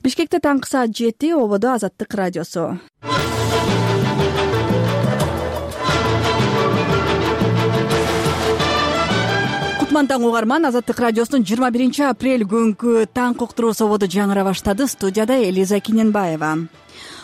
Бишкекте таңкы саат 7, ободо Азаттык радиосу. Кутман таң угарман, Азаттык радиосунун 21 апрель күнкү таң коктуруусу ободо жаңыра баштады. Студияда Элиза Киненбаева.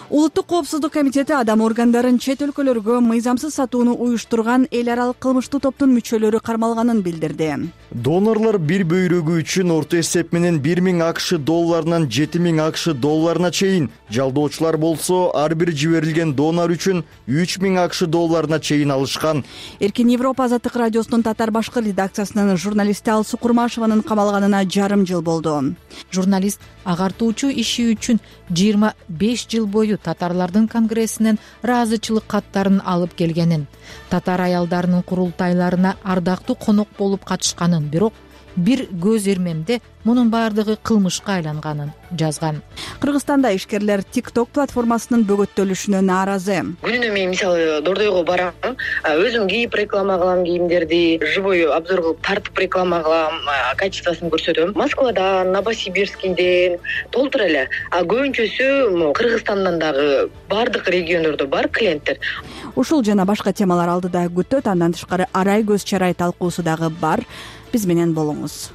Улуттук коопсуздук комитети адам органдарын чет өлкөлөргө мыйзамсыз сатууну уюштурган эл аралык кылмыштуу топтун мүчөлөрү кармалганын билдирди. Донорлор бир бөйрөгү үчүн орто эсеп менен 1000 АКШ долларынан 7000 АКШ долларына чейин, жалдоочулар болсо ар бир жиберилген донор үчүн 3000 АКШ долларына чейин алышкан. Эркин Европа Азаттык радиосунун татар башкы редакциясынын журналисти Алсу Курмашеванын камалганына жарым жыл болду. Журналист агартуучу иши үчүн 25 жыл бою татарлардын конгрессинен ыраазычылык каттарын алып келгенин, татар аялдарынын курултайларына ардактуу конок болуп катышканын, бирок бир көз ирмемде мунун баардыгы кылмышка айланганын жазган. Кыргызстанда ишкерлер TikTok платформасынын бөгөттөлүшүнө нааразы. Күнүнө мен мисалы Дордойго барам, өзүм кийип реклама кылам кийимдерди, живой обзор кылып тартып реклама кылам, качествосын көрсөтөм. Москвадан, Новосибирскийден толтур эле. Көбүнчөсү Кыргызстандан дагы баардык региондордо бар клиенттер. Ушул жана башка темалар алдыда күтөт, андан тышкары арай көз чарай талкуусу дагы бар. Биз менен болуңуз.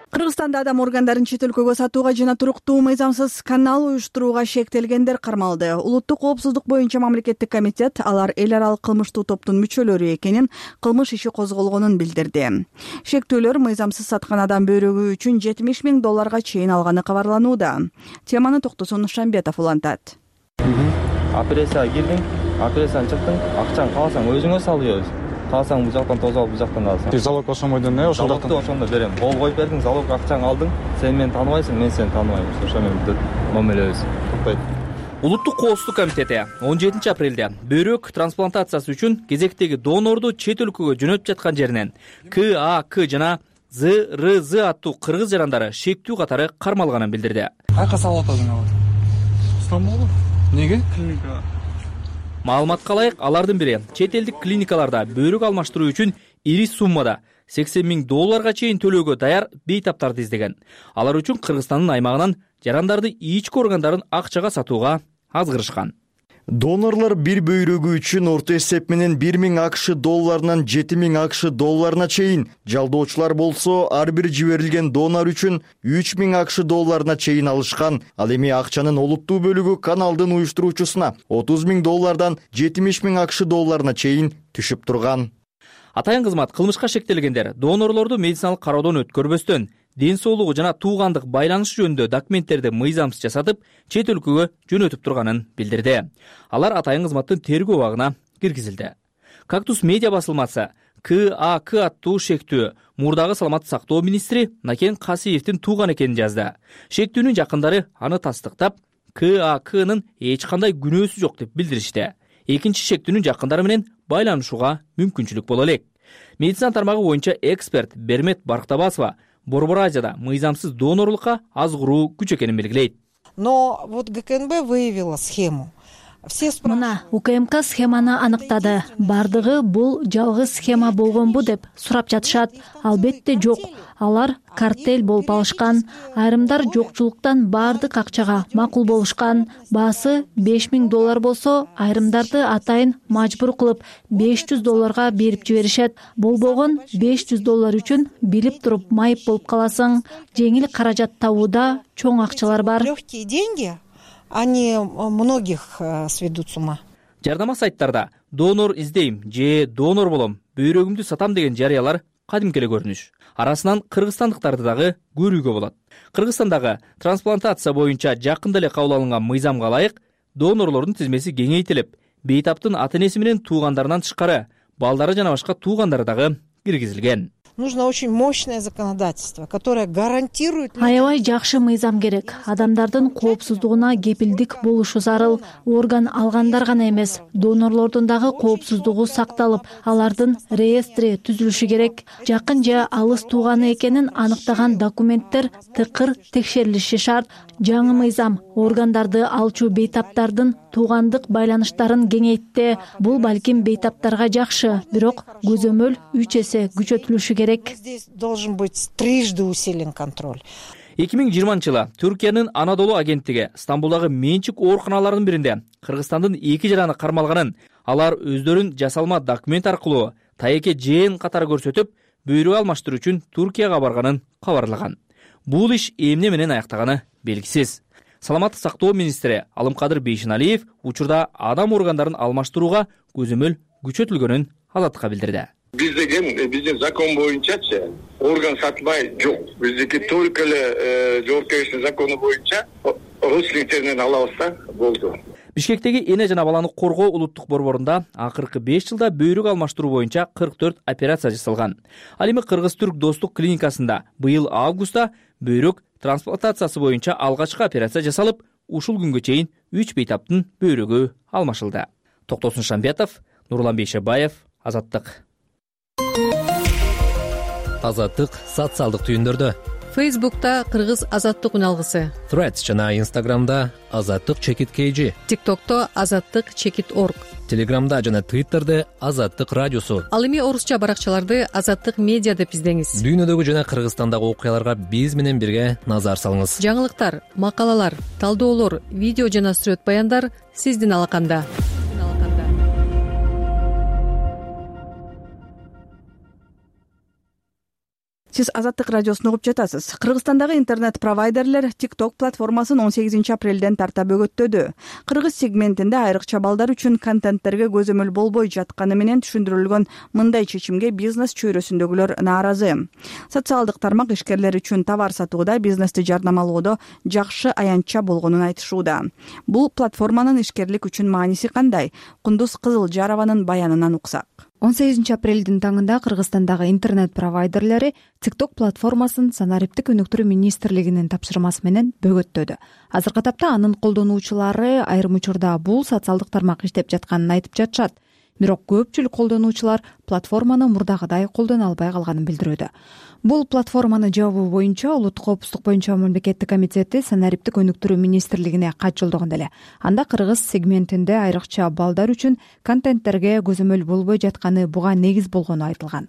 Кыргызстанда адам органдарын чет өлкөгө сатууга жана туруктуу мыйзамсыз канал уюштурууга шектелгендер кармалды. Улуттук коопсуздук боюнча мамлекеттик комитет алар эл аралык кылмыштуу топтун мүчөлөрү экенин, кылмыш иши козголгонун билдирди. Шектүүлөр мыйзамсыз саткан адам бөйрөгү үчүн 70 000 долларга чейин алганы кабарланууда. Теманы Токтосун Шамбетов улантат. Операцияга кирдиң, операциядан чыктың, акчаны кааласаң өзүңө салып, кааласаң бул жактан тозуп алып, бул жактан аласың. Залог ошомойдон ошол жактан ошондо берем. Кол коюп бердиң, залог акчаңды алдың, сен мени тааныбайсың, мен сени тааныбайм. Ошо менен мамилебиз тукпайт. Улуттук коопсуздук комитети 17 апрелде бөйрөк трансплантациясы үчүн кезектеги донорду чет өлкөгө жөнөтүп жаткан жеринен КАК жана ЗРЗ аттуу кыргыз жарандары шектүү катары кармалганын билдирди. Кайка салып атасың алар? Стамбулга? Неге? Клиника. Маалыматка ылайык, алардын бири чет элдик клиникаларда бөйрөк алмаштыруу үчүн ири суммада 80 000 долларга чейин төлөөгө даяр бейтаптарды издеген. Алар үчүн Кыргызстандын аймагынан жарандарды ички органдарын акчага сатууга азгырышкан. Донорлор бир бөйрөгү үчүн орто эсеп менен 1000 АКШ долларынан 7000 АКШ долларына чейин, жалдоочулар болсо ар бир жиберилген донор үчүн 3000 АКШ долларына чейин алышкан. Ал эми акчанын олуттуу бөлүгү каналдын уюштуруучусуна 30 000 доллардан 70 000 АКШ долларына чейин түшүп турган. Атайын кызмат кылмышка шектелгендер донорлорду медициналык кароодон өткөрбөстөн ден соолугу жана туугандык байланышы жөнүндө документтерди мыйзамсыз жасатып, чет өлкөгө жөнөтүп турганын билдирди. Алар атайын кызматтын тергөө абагына киргизилди. Кактус медиа басылмасы КАК аттуу шектүү мурдагы саламаттык сактоо министри Накен Касиевдин тууган экенин жазды. Шектүүнүн жакындары аны тастыктап, КАКнын эч кандай күнөөсү жок деп билдиришти. Экинчи шектүүнүн жакындары менен байланышууга мүмкүнчүлүк боло элек. Медицина тармагы боюнча эксперт Бермет Барктабасова Борбор Азияда мыйзамсыз донорлукка азгыруу күч экенин белгилейт. Но вот ГКНБ выявила схему. Мына УКМК схеманы аныктады. Бардыгы бул жалгыз схема болгонбу деп сурап жатышат. Албетте жок. Алар картель болуп алышкан. Айрымдар жокчулуктан бардык акчага макул болушкан. Баасы 5000 доллар болсо, айрымдарды атайын мажбур кылып 500 долларга берип жиберишет. Болбогон 500 доллар үчүн билип туруп майып болуп каласың. Жеңил каражат табууда чоң акчалар бар. Легкие деньги. Они многих сведут с ума. Жардама сайттарда донор издейм же донор болом, бөйрөгүмдү сатам деген жарыялар кадимки эле көрүнүш. Арасынан кыргызстандыктарды дагы көрүүгө болот. Кыргызстандагы трансплантация боюнча жакында эле кабыл алынган мыйзамга ылайык донорлордун тизмеси кеңейтилип, бейтаптын ата-энеси менен туугандарынан тышкары балдары жана башка туугандары дагы киргизилген. Нужно очень мощное законодательство, которое гарантирует... Аябай жакшы мыйзам керек. Адамдардын коопсуздугуна кепилдик болушу зарыл. Орган алгандар гана эмес, донорлордун дагы коопсуздугу сакталып, алардын реестри түзүлүшү керек. Жакын же алыс тууганы экенин аныктаган документтер тыкыр текшерилиши шарт. Жаңы мыйзам органдарды алчу бейтаптардын туугандык байланыштарын кеңейтти. Бул балким бейтаптарга жакшы, бирок көзөмөл 3 эсе күчөтүлүшү керек. керек. Здесь должен быть трижды усилен контроль. 2020-жылы Түркиянын Анадолу агенттиги Стамбулдагы менчик ооруканаларынын биринде Кыргызстандын 2 жараны кармалганын, алар өздөрүн жасалма документ аркылуу тайеке жээн катары көрсөтүп, бөйрөк алмаштыруу үчүн Туркияга барганын кабарлаган. Бул иш эмне менен аяктаганы белгисиз. Саламаттык сактоо министри Алымкадыр Бейшеналиев учурда адам органдарын алмаштырууга көзөмөл күчөтүлгөнүн Азаттыкка билдирди. Биз деген биздин закон боюнчачы орган сатмай жок. Биздики только эле жоопкерчилик закону боюнча родственниктеринен алабыз да болду. Бишкектеги эне жана баланы коргоо улуттук борборунда акыркы 5 жылда бөйрөк алмаштыруу боюнча 44 операция жасалган. Ал эми Кыргыз-Түрк достук клиникасында быйыл августта бөйрөк трансплантациясы боюнча алгачкы операция жасалып, ушул күнгө чейин 3 бейтаптын бөйрөгү алмашылды. Токтосун Шамбетов, Нурлан Бейшебаев, Азаттык. Азаттык социалдык түйүндөрдө. Фейсбукта Кыргыз Азаттык үналгысы. Threads жана Instagramда Азаттык_KG. TikTokто Азаттык_org. Телеграмда жана Twitterде Азаттык радиосу. Ал эми орусча баракчаларды Азаттык медиа деп издеңиз. Дүйнөдөгү жана Кыргызстандагы окуяларга биз менен бирге назар салыңыз. Жаңылыктар, макалалар, талдоолор, видео жана сүрөт баяндар сиздин алаканда. Сиз Азаттык радиосун угуп жатасыз. Кыргызстандагы интернет-провайдерлер TikTok платформасын 18 апрелден тарта бөгөттөдү. Кыргыз сегментинде айрыкча балдар үчүн контенттерге көзөмөл болбой жатканы менен түшүндүрүлгөн мындай чечимге бизнес чөйрөсүндөгүлөр нааразы. Социалдык тармак ишкерлер үчүн товар сатууда, бизнести жарнамалоодо жакшы аянтча болгонун айтышууда. Бул платформанын ишкерлик үчүн мааниси кандай? Кундуз Кызылжарованын баянынан уксак. 18 апрелдин таңында Кыргызстандагы интернет-провайдерлери TikTok платформасын Санариптик өнүктүрүү министрлигинин тапшырмасы менен бөгөттөдү. Азыркы тапта анын колдонуучулары айрым учурда бул социалдык тармак иштеп жатканын айтып жатышат. Бирок көпчүлүк колдонуучулар платформаны мурдагыдай колдоно албай калганын билдирүүдө. Бул платформаны жабуу боюнча Улуттук коопсуздук боюнча мамлекеттик комитети Санариптик өнүктүрүү министрлигине кат жолдогон эле. Анда Кыргыз сегментинде айрыкча балдар үчүн контенттерге көзөмөл болбой жатканы буга негиз болгону айтылган.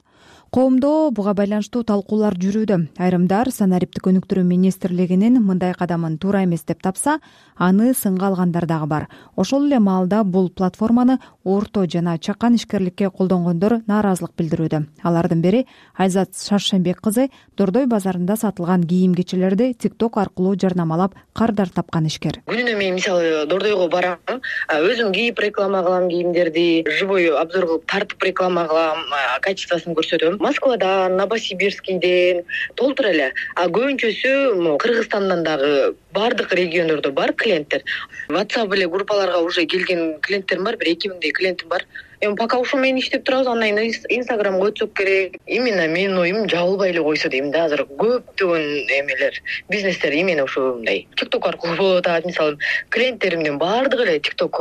Коомдо буга байланыштуу талкуулар жүрүүдө. Айрымдар Санариптик өнүктүрүү министрлигинин мындай кадамын туура эмес деп тапса, аны сынга алгандар дагы бар. Ошол эле маалда бул платформаны орто жана чакан ишкерликке колдонгондор нааразылык билдирүүдө. Алардын бири Айзат Шаршембек кызы Дордой базарында сатылган кийим-кечелерди TikTok аркылуу жарнамалап кардар тапкан ишкер. Күнүнө мен мисалы Дордойго барам, өзүм кийип реклама кылам кийимдерди, живой обзор кылып тартып реклама кылам, качествосын көрсөтөм. Москвадан, Новосибирскийден толтура эле. Көбүнчөсү Кыргызстандан дагы бардык региондордо бар клиенттер. WhatsApp эле группаларга уже келген клиенттерим бар, 1-2 клиентим бар. Эми пока ушул менен иштеп турабыз, андан кийин Instagramга өтсөк керек. Именно менин оюм жабылбай эле койсо дейм да, азыр көптөгөн эмелер, бизнестер именно ушундай TikTok аркылуу болуп атат. Мисалы, клиенттеримдин бардыгы эле TikTok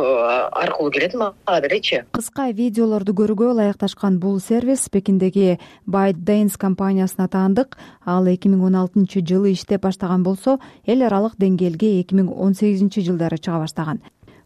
аркылуу келет мага делечи. Кыска видеолорду көрүүгө ылайыкташкан бул сервис Пекиндеги ByteDance компаниясына таандык. Ал 2016-жылы иштеп баштаган болсо, эл аралык деңгээлге 2018-жылдары чыга баштаган.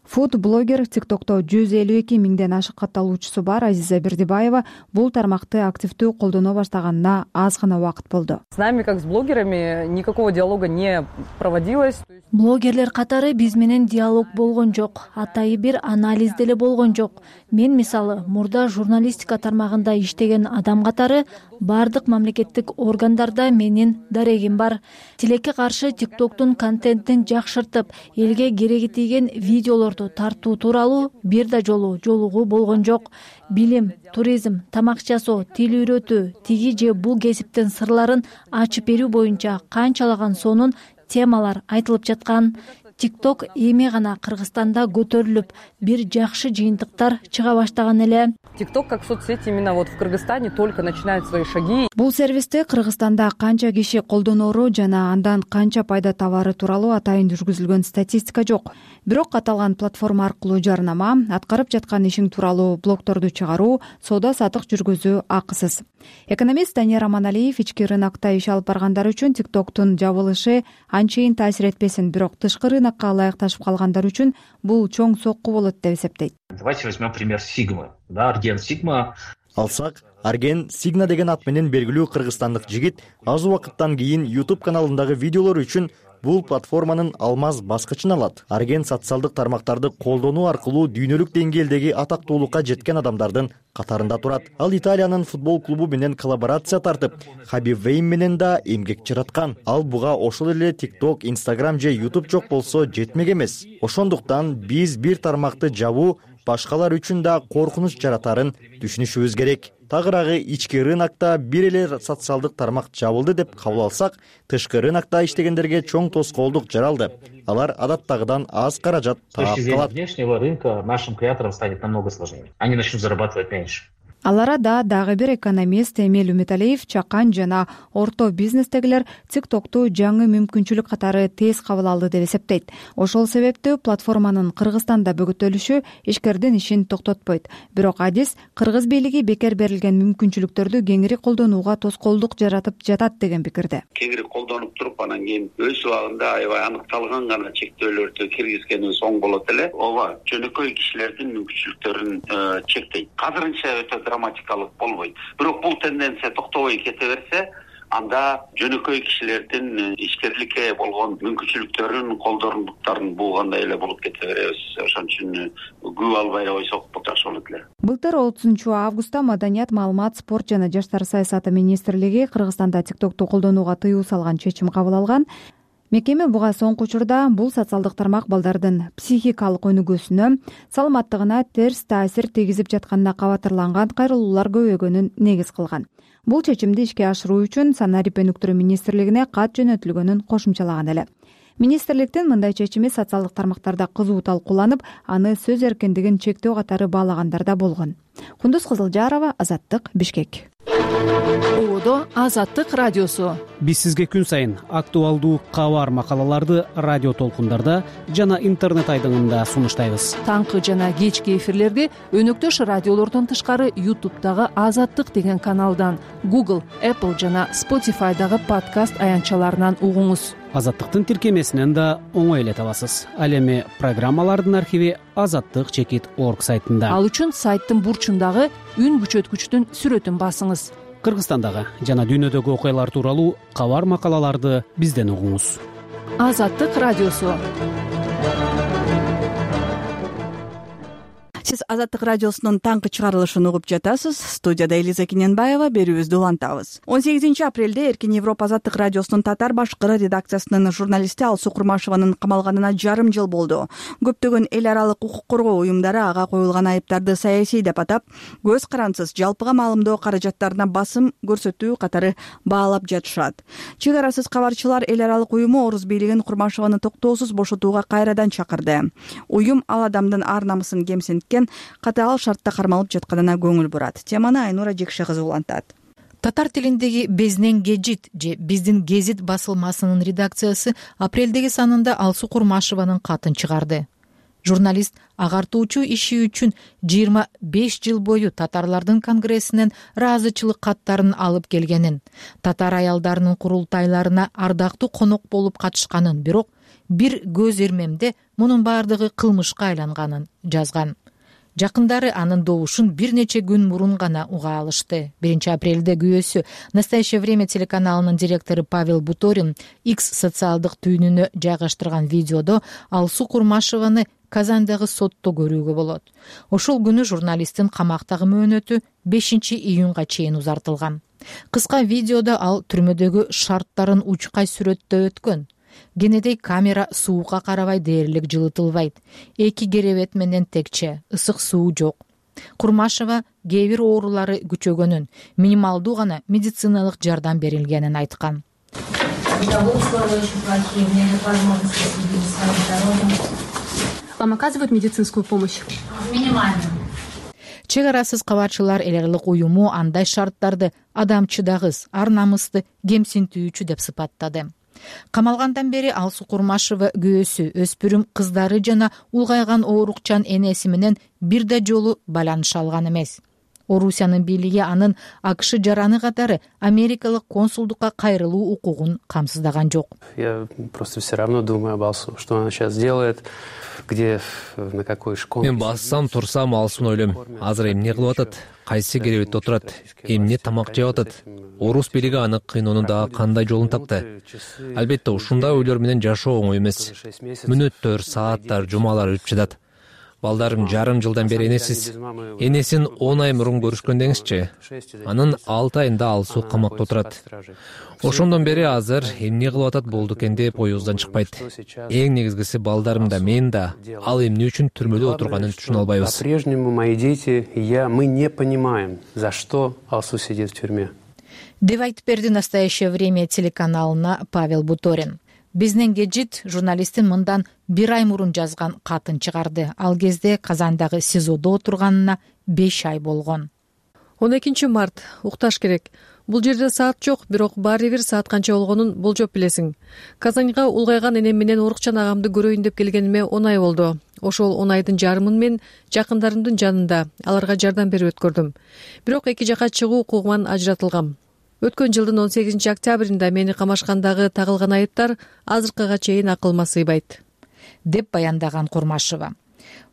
Фуд-блогер TikTokто 152 миңден ашык катталуучусу бар Азиза Бердибаева бул тармакты активдүү колдоно баштаганына аз гана убакыт болду. С нами, как с блогерами, никакого диалога не проводилось. Блогерлер катары биз менен диалог болгон жок, атайы бир анализ деле болгон жок. Мен мисалы мурда журналистика тармагында иштеген адам катары бардык мамлекеттик органдарда менин дарегим бар. Тилекке каршы TikToктун контентин жакшыртып, элге кереги тийген видеолорду тартуу тууралуу бир да жолу жолугуу болгон жок. Билим, туризм, тамак жасоо, тил үйрөтүү, тиги же бул кесиптин сырларын ачып берүү боюнча канчалаган сонун темалар айтылып жаткан. TikTok эми гана Кыргызстанда көтөрүлүп, бир жакшы жыйынтыктар чыга баштаган эле. TikTok как соцсеть именно вот в Кыргызстане только начинает свои шаги. Бул сервисти Кыргызстанда канча киши колдоноору жана андан канча пайда табары тууралуу атайын жүргүзүлгөн статистика жок. Бирок аталган платформа аркылуу жарнама, аткарып жаткан ишиң тууралуу блогторду чыгаруу, соода-саттык жүргүзүү акысыз. Экономист Данияр Аманалиев ички рынокто иш алып баргандар үчүн TikToктун жабылышы анчейин таасир этпесин, бирок тышкы рынокко ылайыкташып калгандар үчүн бул чоң сокку болот деп эсептейт. Давайте возьмем пример Sigma. Да, Арген Sigma Алсак, Арген Сигна деген ат менен белгилүү кыргызстандык жигит аз убакыттан кийин YouTube каналындагы видеолору үчүн бул платформанын алмаз баскычын алат. Арген социалдык тармактарды колдонуу аркылуу дүйнөлүк деңгээлдеги атактуулукка жеткен адамдардын катарында турат. Ал Италиянын футбол клубу менен коллаборация тартып, Хабиб Вейн менен да эмгек жараткан. Ал буга ошол эле TikTok, Instagram же YouTube жок болсо жетмек эмес. Ошондуктан биз бир тармакты жабуу башкалар үчүн да коркунуч жаратарын түшүнүшүбүз керек. Тагыраагы ички рынокто бир эле социалдык тармак жабылды деп кабыл алсак, тышкы рынокто иштегендерге чоң тоскоолдук жаралды. Алар адаттагыдан аз каражат таап калат. Внешнего рынка нашим креаторам станет намного сложнее. Они начнут зарабатывать меньше. Ал арада дагы бир экономист Эмиль Үмүталиев чакан жана орто бизнестегилер TikTok'ту жаңы мүмкүнчүлүк катары тез кабыл алды деп эсептейт. Ошол себептүү платформанын Кыргызстанда бөгөтөлүшү ишкердин ишин токтотпойт. Бирок адис кыргыз бийлиги бекер берилген мүмкүнчүлүктөрдү кеңири колдонууга тоскоолдук жаратып жатат деген пикирде. Кеңири колдонуп туруп, анан кийин өз убагында аябай аныкталган гана чектөөлөрдү киргизгенибиз оң болот эле. Ооба, жөнөкөй кишилердин мүмкүнчүлүктөрүн чектейт. Азырынча өтө драматикалык болбойт. Бирок бул тенденция токтобой кете берсе, анда жөнөкөй кишилердин ишкерликке болгон мүмкүнчүлүктөрүн, колдорундуктарын булгандай эле болуп кете беребиз. Ошон үчүн көп албай койсок жакшы болот эле. Былтыр 30-августта Маданият, маалымат, спорт жана жаштар саясаты министрлиги Кыргызстанда TikTok'ту колдонууга тыюу салган чечим кабыл алган. Мекеме буга соңку учурда бул социалдык тармак балдардын психикалык өнүгүүсүнө, саламаттыгына терс таасир тийгизип жатканына кабатырланган кайрылуулар көбөйгөнүн негиз кылган. Бул чечимди ишке ашыруу үчүн Санарип өнүктүрүү министрлигине кат жөнөтүлгөнүн кошумчалаган эле. Министрликтин мындай чечими социалдык тармактарда кызуу талкууланып, аны сөз эркиндигин чектөө катары баалагандар да болгон. Кундуз Кызылжарова, Азаттык, Бишкек. Оодо Азаттык радиосу. Биз сизге күн сайын актуалдуу кабар макалаларды радио толкундарда жана интернет айдыңында сунуштайбыз. Таңкы жана кечки эфирлерди өнөктөш радиолордон тышкары YouTube'дагы Азаттык деген каналдан, Google, Apple жана Spotify'дагы подкаст аянтчаларынан угуңуз. Азаттыктын тиркемесинен да оңой эле табасыз. Ал эми программалардын архиви azattik.org сайтында. Ал үчүн сайттын бурчундагы үн күчөткүчтүн сүрөтүн басыңыз. Кыргызстандагы жана дүйнөдөгү окуялар тууралуу кабар макалаларды бизден угуңуз. Азаттык радиосу. Сиз Азаттык радиосунун таңкы чыгарылышын угуп жатасыз. Студияда Элиза Кененбаева, берүүбүздү улантабыз. 18 апрелде Эркин Европа Азаттык радиосунун татар башкыры редакциясынын журналисти Алсуу Курмашеванын камалганына жарым жыл болду. Көптөгөн эл аралык укук коргоо уюмдары ага коюлган айыптарды саясий деп атап, көз карансыз жалпыга маалымдоо каражаттарына басым көрсөтүү катары баалап жатышат. Чек арасыз кабарчылар эл аралык уюму Орус бийлигин Курмашеваны токтоосуз бошотууга кайрадан чакырды. Уюм ал адамдын ар намысын кемсинткен, катаал шартта кармалып жатканына көңүл бурат. Теманы Айнура Жекше кызы улантат. Татар тилиндеги Безнен Гежит же Биздин Гезит басылмасынын редакциясы апрелдеги санында Алсуу Курмашеванын катын чыгарды. Журналист агартуучу иши үчүн 25 жыл бою татарлардын конгрессинен ыраазычылык каттарын алып келгенин, татар аялдарынын курултайларына ардактуу конок болуп катышканын, бирок бир көз ирмемде мунун баардыгы кылмышка айланганын жазган. Жакындары анын добушун бир нече күн мурун гана уга алышты. 1 апрелде күйөөсү «Настоящее время» телеканалынын директору Павел Буторин X социалдык түйүнүнө жайгаштырган видеодо Алсуу Курмашеваны Казандагы сотто көрүүгө болот. Ошол күнү журналисттин камактагы мөөнөтү 5 июнга чейин узартылган. Кыска видеодо ал түрмөдөгү шарттарын учкай сүрөттөп өткөн. Кенедей камера суукка карабай дээрлик жылытылбайт. 2 керебет менен текче, ысык суу жок. Курмашева кээ бир оорулары күчөгөнүн, минималдуу гана медициналык жардам берилгенин айткан. Вам оказывают медицинскую помощь? Минимально. Чек арасыз кабарчылар эл аралык уюму андай шарттарды адамчыдагыс, ар намысты кемсинтүүчү деп сыпаттады. Камалгандан бери Алсуу Курмашева күйөөсү, өспүрүм кыздары жана улгайган оорукчан энеси менен бир да жолу байланыша алган эмес. Орусиянын бийлиги анын АКШ жараны катары америкалык консулдукка кайрылуу укугун камсыздаган жок. Я просто все равно думаю об Алсу, что она сейчас делает, где, на какой школе. Мен бассам турсам Алсуну ойлойм. Азыр эмне кылып атат? Кайсы керебетте отурат? Эмне тамак жеп атат? Орус бийлиги аны кыйноонун дагы кандай жолун тапты? Албетте ушундай ойлор менен жашоо оңой эмес. Мүнөттөр, сааттар, жумалар өтүп жатат. Балдарым жарым жылдан бери энесиз. Энесин 10 ай мурун көрүшкөн деңизчи. Анын 6 айында Алсу камакта отурат. Ошондон бери азыр эмне кылып атат болду экен деп оюбуздан чыкпайт. Эң негизгиси балдарым да мен да ал эмне үчүн түрмөдө отурганын түшүнө албайбыз. По-прежнему мои дети и я, мы не понимаем, за что Алсу сидит в тюрьме. Деп айтып берди «Настоящее время» телеканалына Павел Буторин. Бизден кежит журналисттин мындан 1 ай мурун жазган катын чыгарды. Ал кезде Казандагы СИЗОдо отурганына 5 ай болгон. 12 март укташ керек. Бул жерде саат жок, бирок баары бир саат канча болгонун болжоп билесиң. Казанга улгайган энем менен Орукчан агамды көрөйүн деп келгениме 10 ай болду. Ошол 10 айдын жарымын мен жакындарымдын жанында аларга жардам берип өткөрдүм. Бирок эки жака чыгуу укугунан ажыратылгам. Өткөн жылдын 18 октябрында мени камашкандагы тагылган айыптар азыркыга чейин акылыма сыйбайт, деп баяндаган Курмашева.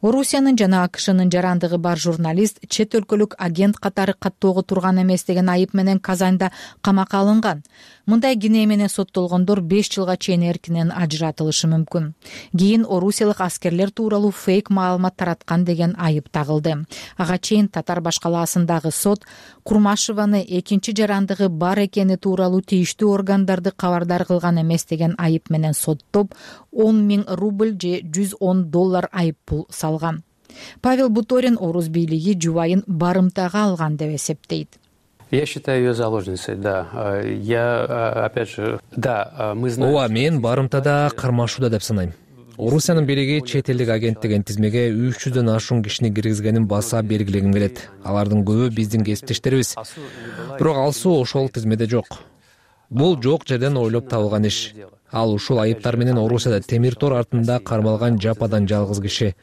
Орусиянын жана АКШнын жарандыгы бар журналист чет өлкөлүк агент катары каттоого турган эмес деген айып менен Казанда камакка алынган. Мындай кине менен соттолгондор 5 жылга чейин эркинен ажыратылышы мүмкүн. Кийин орусиялык аскерлер тууралуу фейк маалымат тараткан деген айып тагылды. Ага чейин Татар башкалаасындагы сот Курмашеваны экинчи жарандыгы бар экени тууралуу тийиштүү органдарды кабардар кылган эмес деген айып менен соттоп 10 000 рубль же $110 айып пул салган. Павел Буторин орус бийлиги жубайын барымтага алган деп эсептейт. Я считаю ее заложницей, да. Я, опять же, да, мы знаем... Ооба, мен барымтада кармашууда деп санайм. Орусиянын бийлиги чет элдик агент деген тизмеге 300дөн ашуун кишини киргизгенин баса белгилегим келет. Алардын көбү биздин кесиптештерибиз. Бирок Алсу ошол тизмеде жок. Бул жок жерден ойлоп табылган иш. Ал ушул айыптар менен Орусияда темир тор артында кармалган жападан жалгыз киши.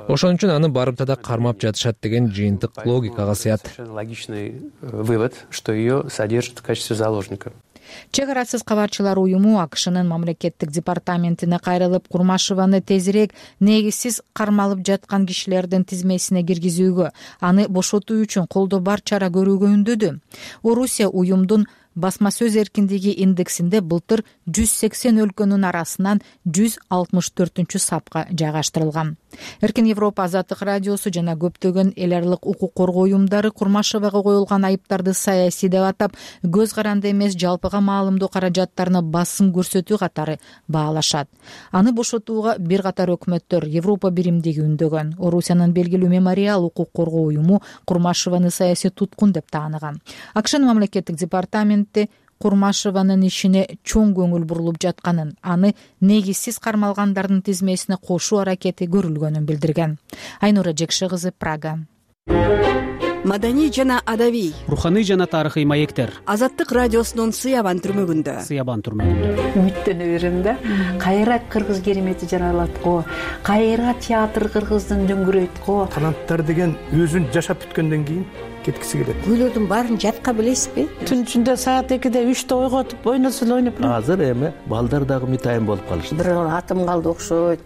Ошон үчүн аны барымтада кармап жатышат деген жыйынтык логикага сыят. Логичный вывод, что ее содержат в качестве заложника. Чек арасыз кабарчылар уюму АКШнын мамлекеттик департаментине кайрылып, Курмашеваны тезирээк негизсиз кармалып жаткан кишилердин тизмесине киргизүүгө, аны бошотуу үчүн колдо бар чара көрүүгө үндөдү. Орусия уюмдун басма сөз эркиндиги индексинде былтыр 180 өлкөнүн арасынан 164 сапка жайгаштырылган. Эркин Европа Азаттык радиосу жана көптөгөн эл аралык укук коргоо уюмдары Курмашевага коюлган айыптарды саясий деп атап, көз каранды эмес жалпыга маалымдоо каражаттарына басым көрсөтүү катары баалашат. Аны бошотууга бир катар өкмөттөр Европа биримдиги үндөгөн. Орусиянын белгилүү Мемориал укук коргоо уюму Курмашеваны саясий туткун деп тааныган. АКШнын мамлекеттик департаменти Курмашеванын ишине чоң көңүл бурулуп жатканын, аны негизсиз кармалгандардын тизмесине кошуу аракети көрүлгөнүн билдирген. Айнура Жекше кызы, Прага. Маданий жана адабий, руханий жана тарыхый маектер. Азаттык радиосунун Сыябан түрмөгүндө. Үмүттөнө берем да. Кайра кыргыз керемети жаралат го, кайра театр кыргыздын дөңгөрөйт го. Таланттар деген өзүн жашап бүткөндөн кийин кеткиси келет. Күйлөрдүн баарын жатка билесизби? Түн ичинде саат 2-де 3-те ойготуп ойносун ойноп. Азыр эми балдар дагы мытайын болуп калышты. Бир атым калды окшойт.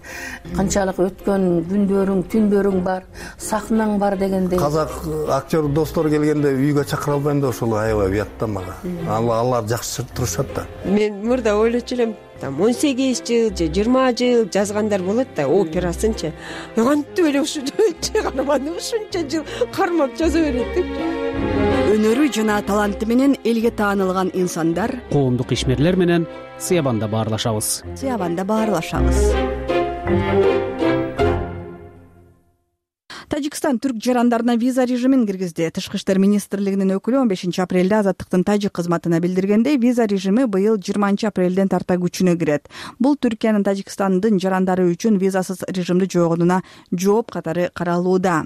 Канчалык өткөн күндөрүң, түндөрүң бар, сахнаң бар дегендей. Казак актер достор келгенде үйгө чакыра албайм да ошол аябай уят да мага. Алар жакшы турушат да. Мен мурда ойлочу элем, 18 жыл же 20 жыл жазгандар болот да, операсынчы. Кантип эле ушул чыгарманы ушунча жыл кармап жаза берет деп. Өнөрү жана таланты менен элге таанылган инсандар Коомдук ишмерлер менен Сыябанда баарлашабыз. Тажикстан түрк жарандарына виза режимин киргизди. Тышкы иштер министрлигинин өкүлү 15 апрелде Азаттыктын тажик кызматына билдиргендей, виза режими быйыл 20 апрелден тарта күчүнө кирет. Бул Түркиянын Тажикстандын жарандары үчүн визасыз режимди жоготууна жооп катары каралууда.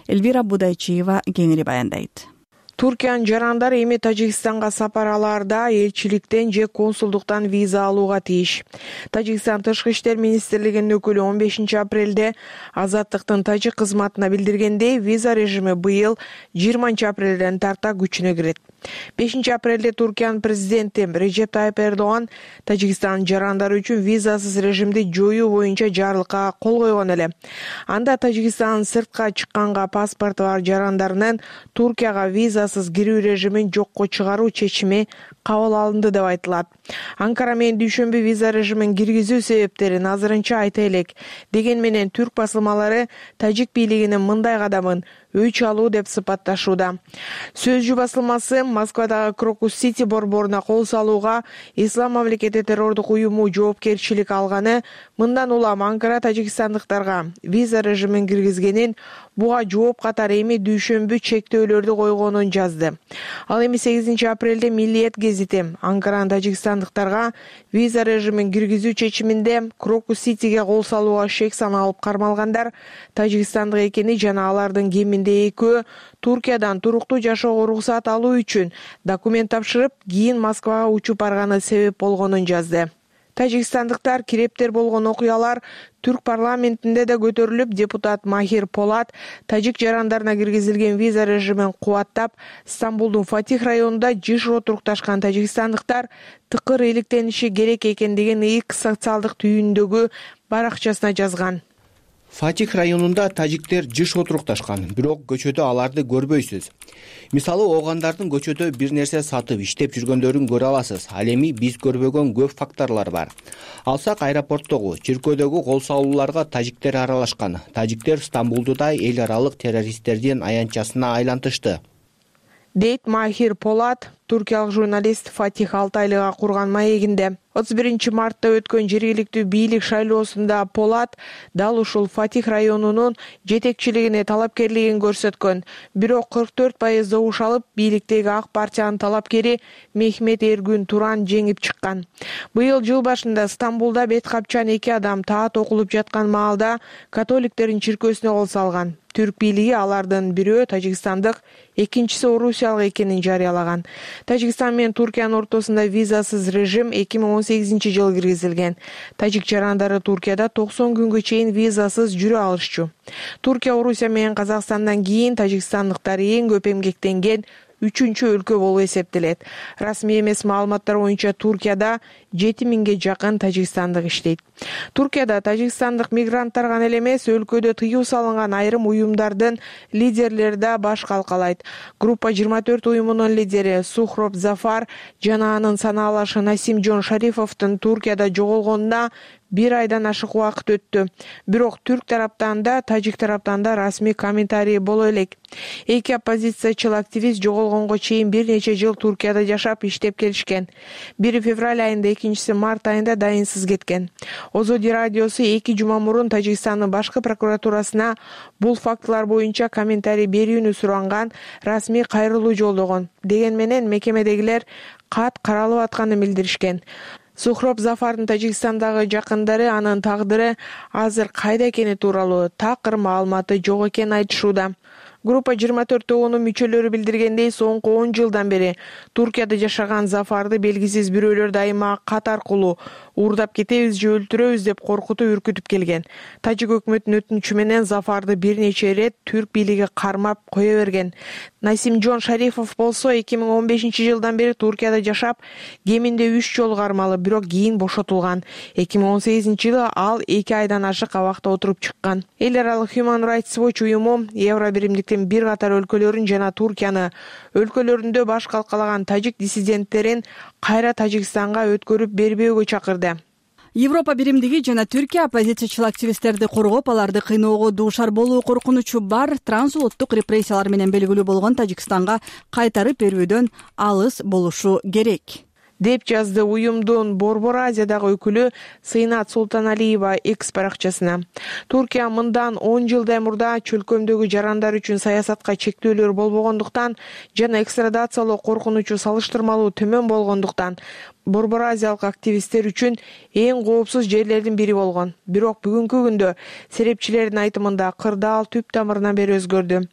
Эльвира Будайчиева кеңири баяндайт. Туркиянын жарандары эми Тажикстанга сапар алаарда элчиликтен же консулдуктан виза алууга тийиш. Тажикстан Тышкы иштер министрлигинин өкүлү 15 апрелде Азаттыктын тажик кызматына билдиргендей, виза режими быйыл 20 апрелден тарта күчүнө кирет. 5 апрелде Туркиянын президенти Режеп Тайып Эрдоган Тажикстандын жарандары үчүн визасыз режимди жоюу боюнча жарлыкка кол койгон эле. Анда Тажикстандын сыртка чыкканга паспорту бар жарандарынын Туркияга визасыз кирүү режимин жокко чыгаруу чечими кабыл алынды деп айтылат. Анкара менен дүйшөмбү виза режимин киргизүү себептерин азырынча айта элек. Деген менен түрк басылмалары тажик бийлигинин мындай кадамын өч алуу деп сыпатташууда. Сөзчү басылмасы Москвадагы Крокус Сити борборуна кол салууга Ислам мамлекети террордук уюму жоопкерчилик алганы, мындан улам Анкара тажикстандыктарга виза режимин киргизгенин, буга жооп катары эми дүйшөмбү чектөөлөрдү койгонун жазды. Ал эми 8 апрелде Миллиет гезити Анкаранын тажикстандыктарга виза режимин киргизүү чечиминде Крокус Ситиге кол салууга шек саналып кармалгандар тажикстандык экени жана алардын кеминде экөө Туркиядан туруктуу жашоого уруксат алуу үчүн документ тапшырып, кийин Москвага учуп барганы себеп болгонун жазды. Тажикстандыктар кирептер болгон окуялар түрк парламентинде да көтөрүлүп, депутат Махир Полат тажик жарандарына киргизилген виза режимин кубаттап, Стамбулдун Фатих районунда жыш отурукташкан тажикстандыктар тыкыр иликтениши керек экендигин X социалдык түйүндөгү баракчасына жазган. Фатих районунда тажиктер жыш отурукташкан, бирок көчөдө аларды көрбөйсүз. Мисалы, оогандардын көчөдө бир нерсе сатып иштеп жүргөндөрүн көрө аласыз. Ал эми биз көрбөгөн көп факторлор бар. Алсак, аэропорттогу, чиркөөдөгү кол салууларга тажиктер аралашкан. Тажиктер Стамбулду да эл аралык террористтердин аянтчасына айлантышты, дейт Махир Полат, туркиялык журналист Фатих Алтайлыга курган маегинде. 31 мартта өткөн жергиликтүү бийлик шайлоосунда Полат дал ушул Фатих районунун жетекчилигине талапкерлигин көрсөткөн. Бирок 44% добуш алып, бийликтеги Ак партиянын талапкери Мехмет Эргүн Туран жеңип чыккан. Быйыл жыл башында Стамбулда бет капчан 2 адам таат окулуп жаткан маалда католиктердин чиркөөсүнө кол салган. Түрк бийлиги алардын бирөө тажикстандык, экинчиси орусиялык экенин жарыялаган. Тажикстан менен Туркиянын ортосунда визасыз режим 2018-жылы киргизилген. Тажик жарандары Туркияда 90 күнгө чейин визасыз жүрө алышчу. Туркия, Орусия менен Казакстандан кийин тажикстандыктар эң көп эмгектенген 3-чү өлкө болуп эсептелет. Расмий эмес маалыматтар боюнча Туркияда 7000ге жакын тажикстандык иштейт. Туркияда тажикстандык мигранттар гана эле эмес, өлкөдө тыюу салынган айрым уюмдардын лидерлери да баш калкалайт. Группа 24 уюмунун лидери Сухроб Зафар жана анын санаалашы Насим Жон Шарифовдун Туркияда жоголгонуна 1 айдан ашык убакыт өттү. Бирок түрк тараптан да, тажик тараптан да расмий комментарий боло элек. Эки оппозициячыл активист жоголгонго чейин бир нече жыл Туркияда жашап иштеп келишкен. Бири февраль айында, экинчиси март айында дайынсыз кеткен. Озоди радиосу 2 жума мурун Тажикстандын башкы прокуратурасына бул фактылар боюнча комментарий берүүнү суранган, расмий кайрылуу жолдогон. Деген менен мекемедегилер кат каралып атканын билдиришкен. Сухроб Зафардын Тажикстандагы жакындары анын тагдыры азыр кайда экени тууралуу такыр маалыматы жок экенин айтышууда. Группа 24 тобунун мүчөлөрү билдиргендей, соңку 10 жылдан бери Туркияда жашаган Зафарды белгисиз бирөөлөр дайыма кат аркылуу уурдап кетебиз же өлтүрөбүз деп коркутуп үркүтүп келген. Тажик өкмөтүнүн өтүнүчү менен Зафарды бир нече ирет түрк бийлиги кармап кое берген. Насим Жон Шарифов болсо 2015-жылдан бери Туркияда жашап, кеминде 3 жолу кармалып, бирок кийин бошотулган. 2018-жылы ал 2 айдан ашык абакта отуруп чыккан. Эл аралык Human Rights Watch уюму Евро биримдиктин бир катар өлкөлөрүн жана Туркияны өлкөлөрүндө баш калкалаган тажик диссиденттерин кайра Тажикстанга өткөрүп бербөөгө чакырды. Европа биримдиги жана Түркия оппозициячыл активисттерди коргоп, аларды кыйноого дуушар болуу коркунучу бар трансулуттук репрессиялар менен белгилүү болгон Тажикстанга кайтарып берүүдөн алыс болушу керек. деп жазды уюмдун Борбор Азиядагы өкүлү Сыйнат Султаналиева X баракчасына. Туркия мындан 10 жылдай мурда чөлкөмдөгү жарандар үчүн саясатка чектөөлөр болбогондуктан жана экстрадациялоо коркунучу салыштырмалуу төмөн болгондуктан Борбор Азиялык активисттер үчүн эң коопсуз жерлердин бири болгон. Бирок бүгүнкү күндө серепчилердин айтымында кырдаал түп тамырынан бери өзгөрдү.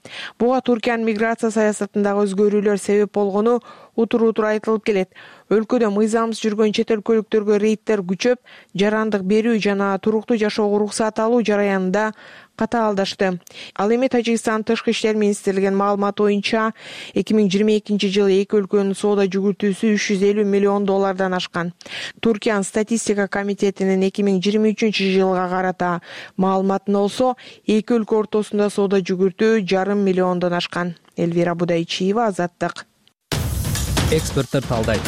Буга Туркиянын миграция саясатындагы өзгөрүүлөр себеп болгону утур-утур айтылып келет. Өлкөдө мыйзамсыз жүргөн чет өлкөлүктөргө рейдтер күчөп, жарандык берүү жана туруктуу жашоого уруксат алуу жараянында катаалдашты. Ал эми Тажикстан Тышкы иштер министрлигинин маалыматы боюнча 2022-жылы эки өлкөнүн соода жүгүртүүсү $350 миллион ашкан. Туркиянын статистика комитетинин 2023-жылга карата маалыматына болсо, эки өлкө ортосунда соода жүгүртүү $500 миллиондон ашкан. Элвира Будайчиева, Азаттык. Эксперттер талдайт.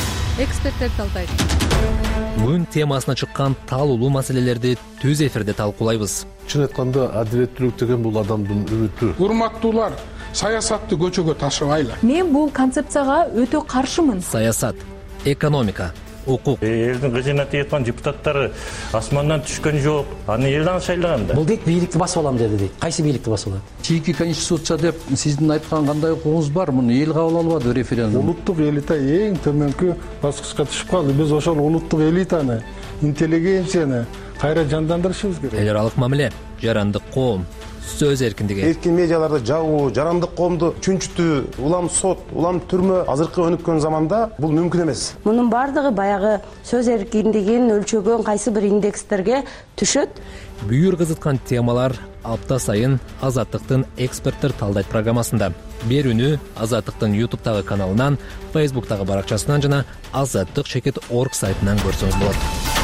Күн темасына чыккан талуулуу маселелерди түз эфирде талкуулайбыз. Чын айтканда адилеттүүлүк деген бул адамдын үмүтү. Урматтуулар, саясатты көчөгө ташыбайлы. Мен бул концепцияга өтө каршымын. Саясат, экономика, укук. Элдин кызына тияткан депутаттары асмандан түшкөн жок. Аны элден шайлаган да. Бул дейт бийликти басып алам деди дейт. Кайсы бийликти басып алат? Чийки конституция деп сиздин айткан кандай укугуңуз бар? Муну эл кабыл албады референдум. Улуттук элита эң төмөнкү баскычка түшүп калды. Биз ошол улуттук элитаны, интеллигенцияны кайра жандандырышыбыз керек. Эл аралык мамиле, жарандык коом, сөз эркиндиги. Эркин медиаларды жабуу, жарандык коомду чүнчүтүү, улам сот, улам түрмө азыркы өнүккөн заманда бул мүмкүн эмес. Мунун бардыгы баягы сөз эркиндигин өлчөгөн кайсы бир индекстерге түшөт. Бүйүр кызыткан темалар апта сайын Азаттыктын эксперттер талдайт программасында. Берүүнү Азаттыктын YouTube'тагы каналынан, Facebook'тагы баракчасынан жана azattyk.org сайтынан көрсөңүз болот.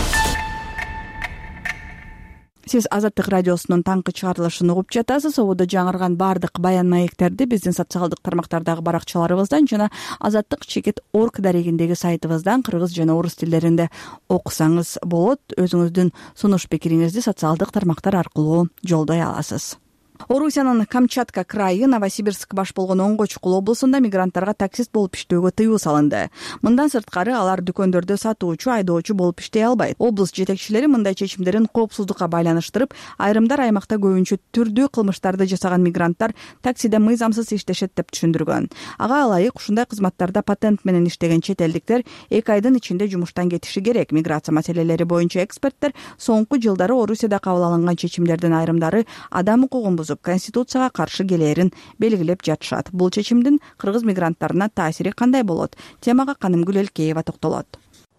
Сиз Азаттык радиосунун таңкы чыгарылышын угуп жатасыз. Ободо жаңырган бардык баян маектерди биздин социалдык тармактардагы баракчаларыбыздан жана azattyk.org дарегиндеги сайтыбыздан кыргыз жана орус тилдеринде окусаңыз болот. Өзүңүздүн сунуш пикириңизди социалдык тармактар аркылуу жолдой аласыз. Орусиянын Камчатка крайы Новосибирск баш болгон Оңго чукул облусунда мигранттарга таксист болуп иштөөгө тыюу салынды. Мындан сырткары алар дүкөндөрдө сатуучу, айдоочу болуп иштей албайт. Облус жетекчилери мындай чечимдерин коопсуздукка байланыштырып, айрымдар аймакта көбүнчө түрдүү кылмыштарды жасаган мигранттар таксиде мыйзамсыз иштешет деп түшүндүргөн. Ага ылайык ушундай кызматтарда патент менен иштеген чет элдиктер 2 айдын ичинде жумуштан кетиши керек. Миграция маселелери боюнча эксперттер соңку жылдары Орусияда кабыл алынган чечимдердин айрымдары адам укугун Конституцияга каршы келээрин белгилеп жатышат. Бул чечимдин кыргыз мигранттарына таасири кандай болот? Темага Канымгүл Элкеева токтолот.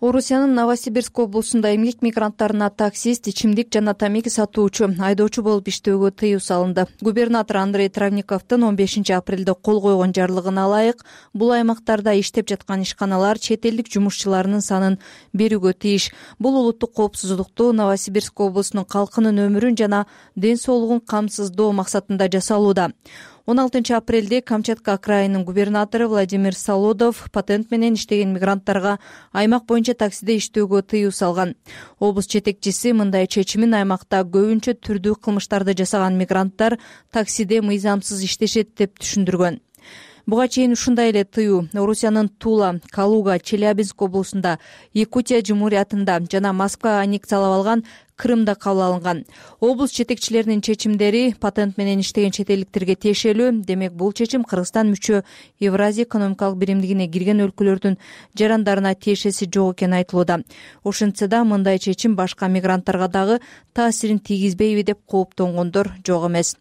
Орусиянын Новосибирск облусунда эмгек мигранттарына таксист, ичимдик жана тамеки сатуучу, айдоочу болуп иштөөгө тыюу салынды. Губернатор Андрей Травниковдун 15 апрелде кол койгон жарлыгына ылайык бул аймактарда иштеп жаткан ишканалар чет элдик жумушчуларынын санын берүүгө тийиш. Бул улуттук коопсуздукту, Новосибирск облусунун калкынын өмүрүн жана ден соолугун камсыздоо максатында жасалууда. 16 апрелде Камчатка крайынын губернатору Владимир Солодов патент менен иштеген мигранттарга аймак боюнча таксиде иштөөгө тыюу салган. Облус жетекчиси мындай чечимин аймакта көбүнчө түрдүү кылмыштарды жасаган мигранттар таксиде мыйзамсыз иштешет деп түшүндүргөн. Буга чейин ушундай эле тыюу Орусиянын Тула, Калуга, Челябинск облусунда, Якутия Жумуриятында жана Москва аннексиялап алган Крымда кабыл алынган. Облус жетекчилеринин чечимдери патент менен иштеген чет элдиктерге тиешелүү. Демек, бул чечим Кыргызстан мүчө Евразия экономикалык биримдигине кирген өлкөлөрдүн жарандарына тиешеси жок экени айтылууда. Ошентсе да мындай чечим башка мигранттарга дагы таасирин тийгизбейби деп кооптонгондор жок эмес.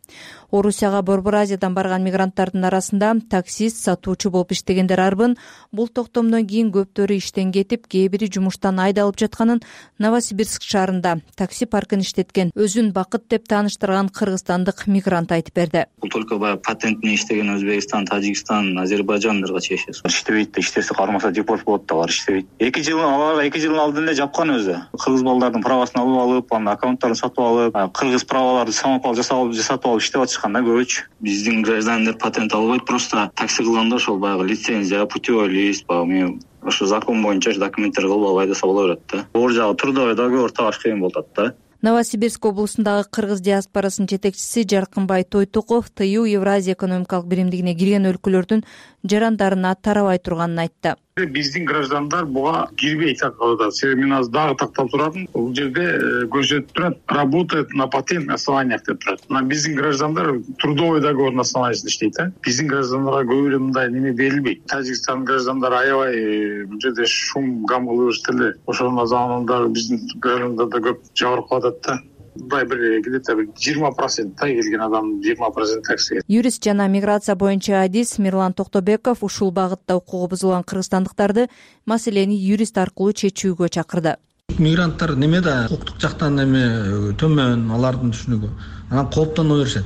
Орусияга Борбор Азиядан барган мигранттардын арасында таксист, сатуучу болуп иштегендер арбын. Бул токтомдон кийин көптөрү иштен кетип, кээ бири жумуштан айдалып жатканын Новосибирск шаарында такси паркын иштеткен, өзүн бакыт деп тааныштырган кыргызстандык мигрант айтып берди. Бул только баягы патент менен иштеген Өзбекстан, Тажикстан, Азербайжандарга тиешеси. Иштебейт да, иштесе кармаса депорт болот да, алар иштебейт. 2 жылдын алдын эле жапкан өзү. Кыргыз балдардын правасын алып, анын аккаунттарын сатып алып, кыргыз праваларды самопал жасатып алып иштеп атышканда көбүчү. Биздин граждандар патент албайт, просто такси кылганда ошол баягы лицензия, путевой лист, мен ошо закон боюнча документтер кылып алып айдаса боло берет да. Оор жагы трудовой договор табаш кыйын болуп атат да. Новосибирск облусундагы кыргыз диаспорасынын жетекчиси Жаркынбай Тойтуков тыюу Евразия экономикалык биримдигине кирген өлкөлөрдүн жарандарына тарабай турганын айтты. Биздин граждандар буга кирбейт атат. Себеби мен азыр дагы тактап туратым. Бул жерде көрсөтүп турат, работает на патентных основаниях деп турат. Биздин граждандар трудовой договор на основаниясында иштейт. Биздин граждандарга көп эле мындай неме берилбейт. Тажикстан граждандары аябай бул жерде шум гам кылып эле. Ошонун заманында биздин граждандарда көп жабыркап атат да. Мындай бир где-то 20% келген адам 20% такси. Юрист жана миграция боюнча адис Мирлан Токтобеков ушул багытта укугу бузулган кыргызстандыктарды маселени юрист аркылуу чечүүгө чакырды. Мигранттар немеде укуктук жактан эме төмөн, алардын түшүнүгү анан кооптоно беришет.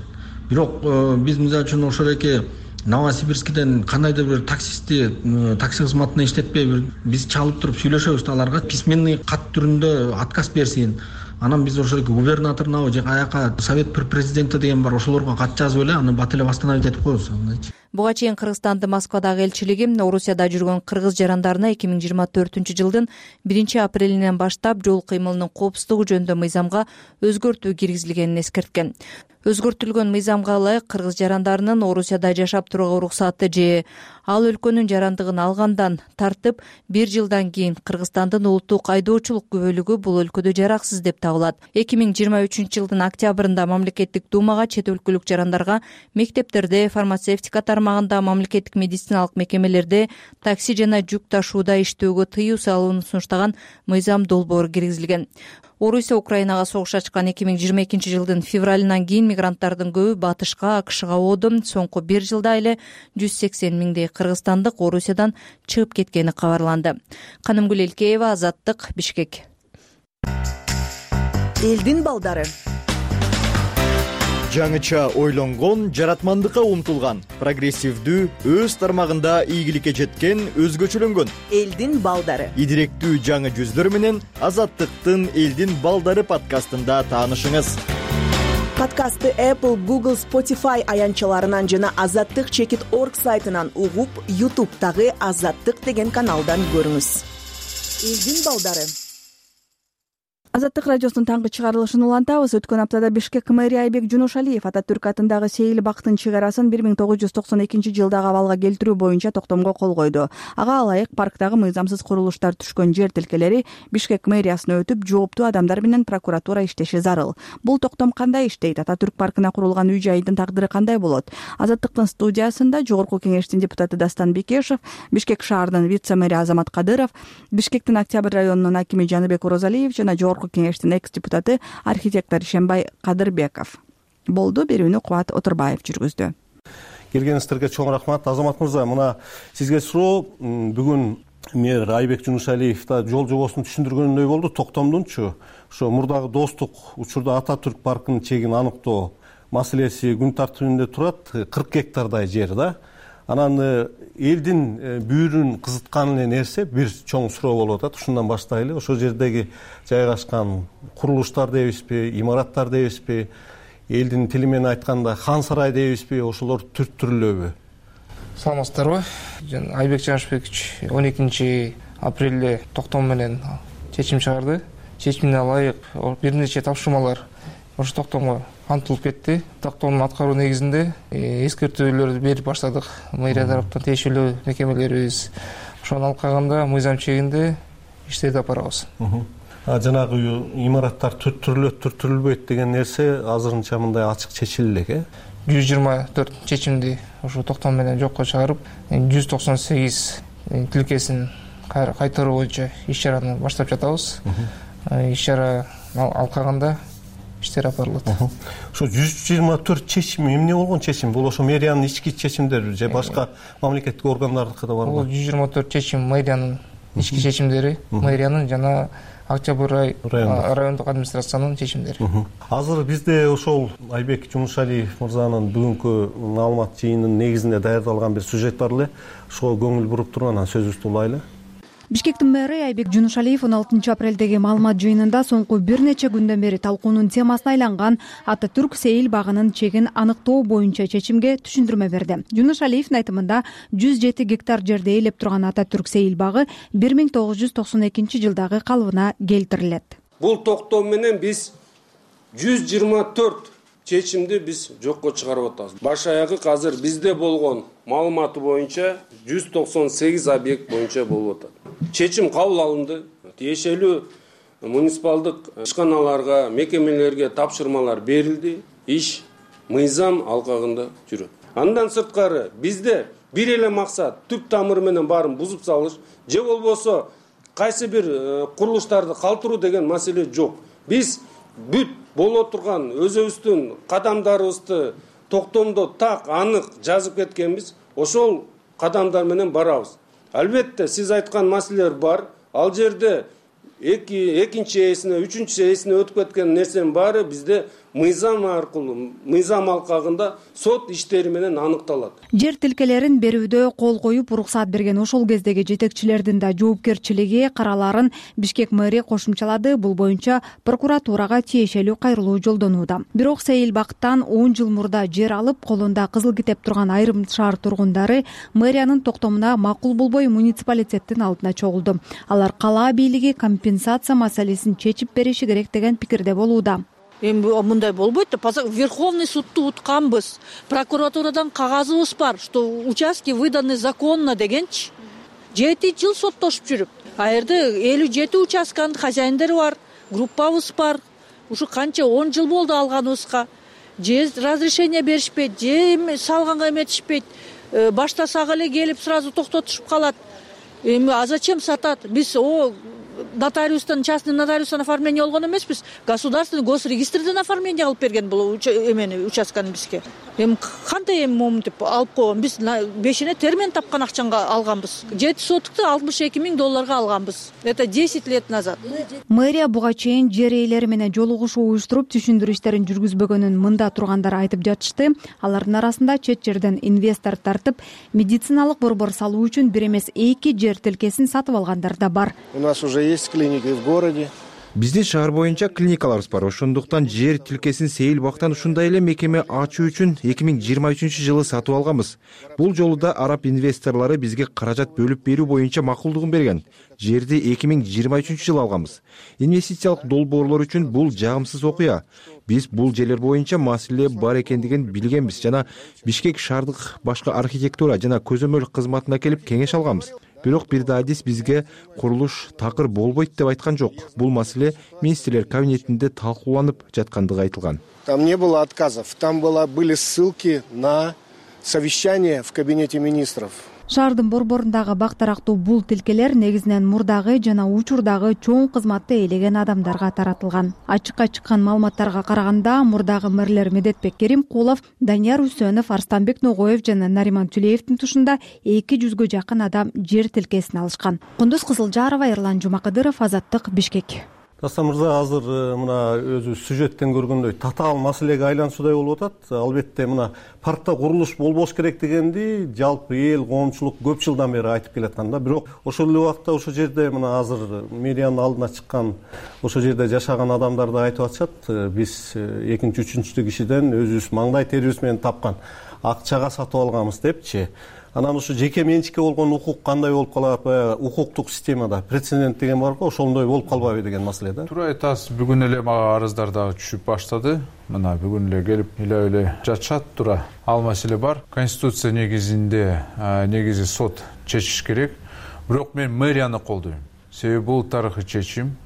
Бирок биз мисалы үчүн ошол эки Новосибирскиден кандайдыр бир такси кызматына иштетпей биз чалып туруп сүйлөшөбүз да аларга письменный кат түрүндө отказ берсин. Анан биз ошол губернаторуна же каяка совет президенти деген бар, ошолорго кат жазып эле аны бат эле восстановить этип коебуз. Буга чейин Кыргызстандын Москвадагы элчилиги Орусияда жүргөн кыргыз жарандарына 2024-жылдын 1-апрелинен баштап жол кыймылынын коопсуздугу жөнүндө мыйзамга өзгөртүү киргизилгенин эскерткен. Өзгөртүлгөн мыйзамга ылайык кыргыз жарандарынын Орусияда жашап турууга уруксаты же ал өлкөнүн жарандыгын алгандан тартып 1 жылдан кийин Кыргызстандын улуттук айдоочулук күбөлүгү бул өлкөдө жараксыз деп табылат. 2023-жылдын октябрында мамлекеттик думага чет өлкөлүк жарандарга мектептерде, фармацевтика тармагында, мамлекеттик медициналык мекемелерде, такси жана жүк ташууда иштөөгө тыюу салууну сунуштаган мыйзам долбоору киргизилген. Орусия Украинага согуш ачкан 2022-жылдын февралынан кийин мигранттардын көбү батышка, АКШга оодо. Соңку 1 жылда эле 180 миңдей кыргызстандык Орусиядан чыгып кеткени кабарланды. Канымгүл Элкеева, Азаттык, Бишкек. Элдин балдары. Жаңыча ойлонгон, жаратмандыкка умтулган, прогрессивдүү, өз тармагында ийгиликке жеткен, өзгөчөлөнгөн элдин балдары. Идиректүү жаңы жүздөр менен Азаттыктын Элдин балдары подкастында таанышыңыз. Подкастты Apple, Google, Spotify аянтчаларынан жана azattik.org сайтынан угуп, YouTube'дагы Азаттык деген каналдан көрүңүз. Элдин балдары. Азаттык радиосунун таңкы чыгарылышын улантабыз. Өткөн аптада Бишкек мэри Айбек Жунушалиев Ататүрк атындагы Сейил бактын чыгарасын 1992-жылдагы абалга келтирүү боюнча токтомго кол койду. Ага ылайык парктагы мыйзамсыз курулуштар түшкөн жер тилкелери Бишкек мэриясына өтүп, жооптуу адамдар менен прокуратура иштеши зарыл. Бул токтом кандай иштейт? Ататүрк паркына курулган үй-жайдын тагдыры кандай болот? Азаттыктын студиясында Жогорку кеңештин депутаты Дастан Бекешев, Бишкек шаарынын вице-мэри Азамат Кадыров, Бишкектин Октябрь районунун акими Жаныбек Орозалиев жана Жогорку кеңештин экс-депутаты архитектор Ишембай Кадырбеков болду. Берүүнү Кубат Отурбаев жүргүздү. Келгениңиздерге чоң рахмат. Азамат мырза, мына сизге суроо. Бүгүн мэр Айбек Жунушалиев да жол жобосун түшүндүргөндөй болду. Токтомдунчу ошо мурдагы достук учурда Ататүрк паркынын чегин аныктоо маселеси күн тартибинде турат. 40 гектардай жер да. Анан элдин бүйүрүн кызыткан эле нерсе бир чоң суроо болуп атат. Ушундан баштайлы. Ошол жердеги жайгашкан курулуштар дейбизби, имараттар дейбизби, элдин тили менен айтканда хан сарай дейбизби, ошолор түрттүрүлөбү? Саламатсыздарбы? Айбек Жанышбекович 12-апрелде токтом менен чечим чыгарды. Чечимине ылайык бир нече тапшырмалар ошо токтомго антылып кетти. Токтомдун аткаруу негизинде эскертүүлөрдү берип баштадык. Мэрия тараптан тиешелүү мекемелерибиз ошону алып калганда мыйзам чегинде иштерди алып барабыз. Жанагы имараттар түрттүрүлбөйт деген нерсе азырынча мындай ачык чечиле элек, 124 чечимди ошо токтом менен жокко чыгарып, 198 тилкесин кайтаруу боюнча иш-чараны баштап жатабыз. Иш-чара алып калганда иштер алып барылат. Ошо 124 чечим эмне болгон чечим? Бул ошо мэриянын ички чечимдери же башка мамлекеттик органдардыкы да барбы? Бул 124 чечим мэриянын ички чечимдери, мэриянын жана Октябрь райондук администрациянын чечимдери. Азыр бизде ошол Айбек Жунушалиев мырзанын бүгүнкү маалымат жыйынынын негизинде даярдалган бир сюжет бар эле. Ошого көңүл буруп туруп анан сөзүбүздү улайлы. Бишкектин мэри Айбек Жунушалиев 16-апрелдеги маалымат жыйынында соңку бир нече күндөн бери талкуунун темасына айланган Ататүрк Сейил багынын чегин аныктоо боюнча чечимге түшүндүрмө берди. Жунушалиевдин айтымында 107 гектар жерде ээлеп турган Ататүрк Сейил багы 1992-жылдагы калыбына келтирилет. Бул токтом менен биз 124 чечимди биз жокко чыгарып атабыз. Баш аягы азыр бизде болгон маалыматы боюнча 198 объект боюнча болуп атат. Чечим кабыл алынды. Тиешелүү муниципалдык ишканаларга, мекемелерге тапшырмалар берилди. Иш мыйзам алкагында жүрөт. Андан сырткары бизде бир эле максат түп тамыры менен баарын бузуп салыш, же болбосо кайсы бир курулуштарды калтыруу деген маселе жок. Биз бүт боло турган өзүбүздүн кадамдарыбызды токтомдо так анык жазып кеткенбиз. Ошол кадамдар менен барабыз. Албетте сиз айткан маселелер бар. Ал жерде экинчи эсине, үчүнчү эсине өтүп кеткен нерсенин баары бизде мыйзам аркылуу, мыйзам алкагында сот иштери менен аныкталат. Жер тилкелерин берүүдө кол коюп уруксаат берген ошол кездеги жетекчилердин да жоопкерчилиги караларын Бишкек мэрия кошумчалады. Бул боюнча прокуратурага тиешелүү кайрылуу жолдонууда. Бирок Сейил Бактан 10 жыл мурда жер алып, колунда кызыл китеп турган айрым шаар тургундары мэриянын токтомуна макул болбой муниципалитеттин алдына чогулду. Алар кала бийлиги компенсация маселесин чечип бериши керек деген пикирде болууда. Эми мындай болбойт да. Верховный судту утканбыз. Прокуратурадан кагазыбыз бар, что участки выданы законно дегенчи. 7 жыл соттошуп жүрүп. А жерде 57 участканын хозяиндери бар, группабыз бар. Ушу канча 10 жыл болду алганыбызга. Же разрешение беришпейт, же салганга эметишпейт. Баштасак эле келип сразу токтотушуп калат. Эми а зачем сатат? Биз нотариустан, частный нотариустан оформление болгон эмеспиз. Государственный госрегистрден оформление кылып берген бул участканы бизге. Эми кандай моментип алып койгон? Биз 5-ине термен тапкан акчанга алганбыз. 7 сотукты $62 000 алганбыз. Это 10 лет назад. Мэрия буга чейин жер ээлери менен жолугушуу уюштуруп түшүндүрүү иштерин жүргүзбөгөнүн мында тургандар айтып жатышты. Алардын арасында чет жерден инвестор тартып, медициналык борбор салуу үчүн бир эмес 2 жер тилкесин сатып алгандар да бар. У нас уже есть клиники в городе. Биздин шаар боюнча клиникаларыбыз бар. Ошондуктан жер тилкесин Сейил Бактан ушундай эле мекеме ачуу үчүн 2023-жылы сатып алганбыз. Бул жолу да араб инвесторлору бизге каражат бөлүп берүү боюнча макулдугун берген. Жерди 2023-жылы алганбыз. Инвестициялык долбоорлор үчүн бул жагымсыз окуя. Биз бул жерлер боюнча маселе бар экендигин билгенбиз жана Бишкек шаардык башкы архитектура жана көзөмөл кызматына келип кеңеш алганбыз. Бирок бир да адис бизге курулуш такыр болбойт деп айткан жок. Бул маселе министрлер кабинетинде талкууланып жаткандыгы айтылган. Там не было отказов, там были ссылки на совещание в кабинете министров. Шаардын борборундагы бактарактуу бул тилкелер негизинен мурдагы жана учурдагы чоң кызматты ээлеген адамдарга таратылган. Ачыкка чыккан маалыматтарга караганда, мурдагы мэрлер Медетбек Керимкулов, Данияр Үсөнов, Арстанбек Ногоев жана Нариман Түлеевдин тушунда 200-гө жакын адам жер тилкесин алышкан. Кундуз Кызылжарова, Эрлан Жумакыдыров, Азаттык, Бишкек. Дастан мырза, азыр мына өзү сюжеттен көргөндөй татаал маселеге айлануусудай болуп атат. Албетте мына паркта курулуш болбош керек дегенди жалпы эл, коомчулук көп жылдан бери айтып келаткан да. Бирок ошол эле убакта ошол жерде мына азыр мэриянын алдына чыккан, ошол жерде жашаган адамдар да айтып атышат. Биз экинчи, үчүнчү кишиден өзүбүз маңдай терибиз менен тапкан акчага сатып алганбыз депчи. Анан ушу жеке менчикке болгон укук кандай болуп калат, баягы укуктук системада прецедент деген бар го, ошондой болуп калбайбы деген маселе да. Туура айтасыз, бүгүн эле мага арыздар дагы түшүп баштады. Мына бүгүн эле келип эле жатышат туура. Ал маселе бар. Конституция негизинде негизи сот чечиш керек. Бирок мен мэрияны колдойм. Себеби бул тарыхый чечим.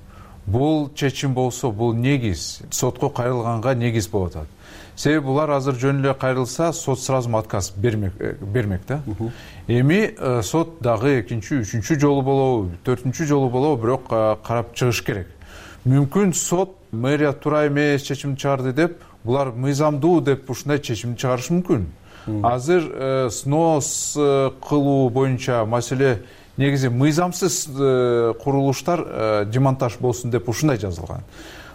Бул чечим болсо, бул негиз сотко кайрылганга негиз болуп атат. Себеби булар азыр жөн эле кайрылса, сот сразу отказ бермек да. Эми сот дагы экинчи, үчүнчү жолу болобу, төртүнчү жолу болобу, бирок карап чыгыш керек. Мүмкүн сот мэрия туура эмес чечим чыгарды деп, булар мыйзамдуу деп ушундай чечим чыгарышы мүмкүн. Азыр снос кылуу боюнча маселе негизи мыйзамсыз курулуштар демонтаж болсун деп ушундай жазылган.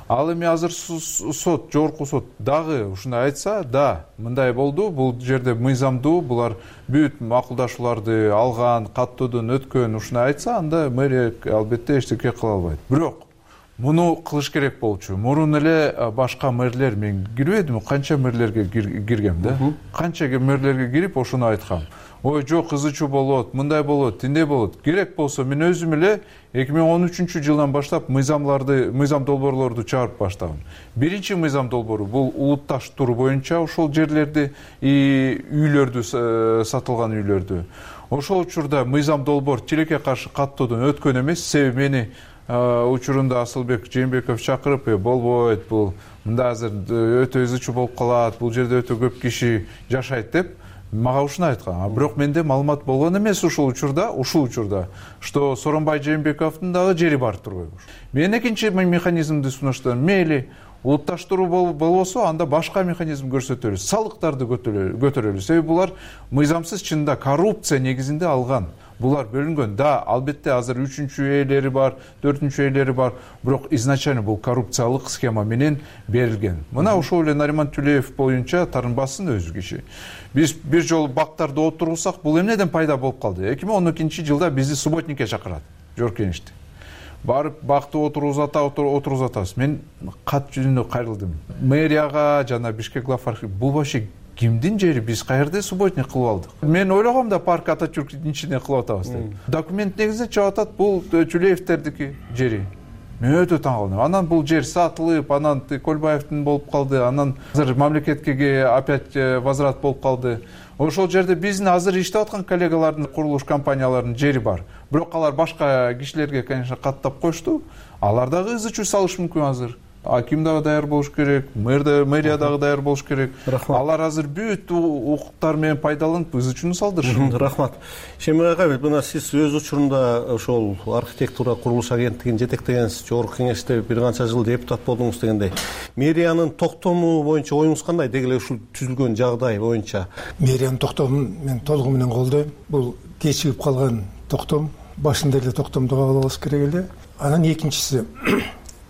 Ал эми азыр сот, жогорку сот дагы ушундай айтса, да, мындай болду, бул жерде мыйзамдуу, булар бүт макулдашууларды алган, каттоодон өткөн, ушундай айтса, анда мэрия албетте эчтеке кыла албайт. Бирок муну кылыш керек болчу. Мурун эле башка мэрлер, мен кирбедим, канча мэрлерге киргем да. Канча мэрлерге кирип ошону айткам. Ой, жок, ызы чуу болот, мындай болот, тиндей болот. Керек болсо мен өзүм эле 2013-жылдан баштап мыйзам долбоорлорду чыгарып баштагам. Биринчи мыйзам долбоору бул улутташтыруу боюнча ошол жерлерди, үйлөрдү, сатылган үйлөрдү. Ошол учурда мыйзам долбоор тилекке каршы каттоодон өткөн эмес. Себеби мени учурунда Асылбек Жээнбеков чакырып, болбойт, бул мында азыр өтө ызы чуу болуп калат, бул жерде өтө көп киши жашайт деп мага ушуну айткан. Бирок менде маалымат болгон эмес ушул учурда, что Сооронбай Жээнбековдун дагы жери бар турбайбы. Мен экинчи механизмди сунуштадым. Мейли улутташтыруу болбосо, анда башка механизм көрсөтөлү, салыктарды көтөрөлү. Себеби булар мыйзамсыз, чынында коррупция негизинде алган. Булар бөлүнгөн. Да, албетте азыр 3-чү ээлери бар, 4-чү ээлери бар, бирок изначально бул коррупциялык схема менен берилген. Мына ошол эле Нариман Түлеев боюнча тарынбасын өзү киши. Биз бир жолу бактарды отурсак, бул эмнеден пайда болуп калды? 2012-жылда бизди субботникке чакырат, Жогорку Кеңешти. Барып бакты отурузатабыз. Мен кат жүзүндө кайрылдым. Мэрияга жана Бишкек главархи бул вообще кимдин жери, биз каерде субботник кылып алдык? Мен ойлогом да парк Ататюрктүн ичине кылып атабыз деп. Документ негизинде чыгып атат, бул Түлеевтердики жери. Мен өтө таң калдым. Анан бул жер сатылып, анан Көлбаевдин болуп калды, анан азыр мамлекетке опять возврат болуп калды. Ошол жерде биздин азыр иштеп аткан коллегалардын, курулуш компанияларынын жери бар. Бирок алар башка кишилерге, конечно, каттап коюшту. Алар дагы ызы чуу салышы мүмкүн азыр. Аким дагы даяр болуш керек, мэрия дагы даяр болуш керек. Алар азыр бүт укуктар менен пайдаланып ызы чууну салдырышат. Рахмат. Шемир агай, мына сиз өз учурунда ошол архитектура курулуш агенттигин жетектегенсиз, Жогорку Кеңеште бир канча жыл депутат болдуңуз дегендей. Мэриянын токтому боюнча оюңуз кандай? Деги эле ушул түзүлгөн жагдай боюнча. Мэриянын токтомун мен толугу менен колдойм. Бул кечигип калган токтом. Башында эле токтомду кабыл алыш керек эле. Анан экинчиси,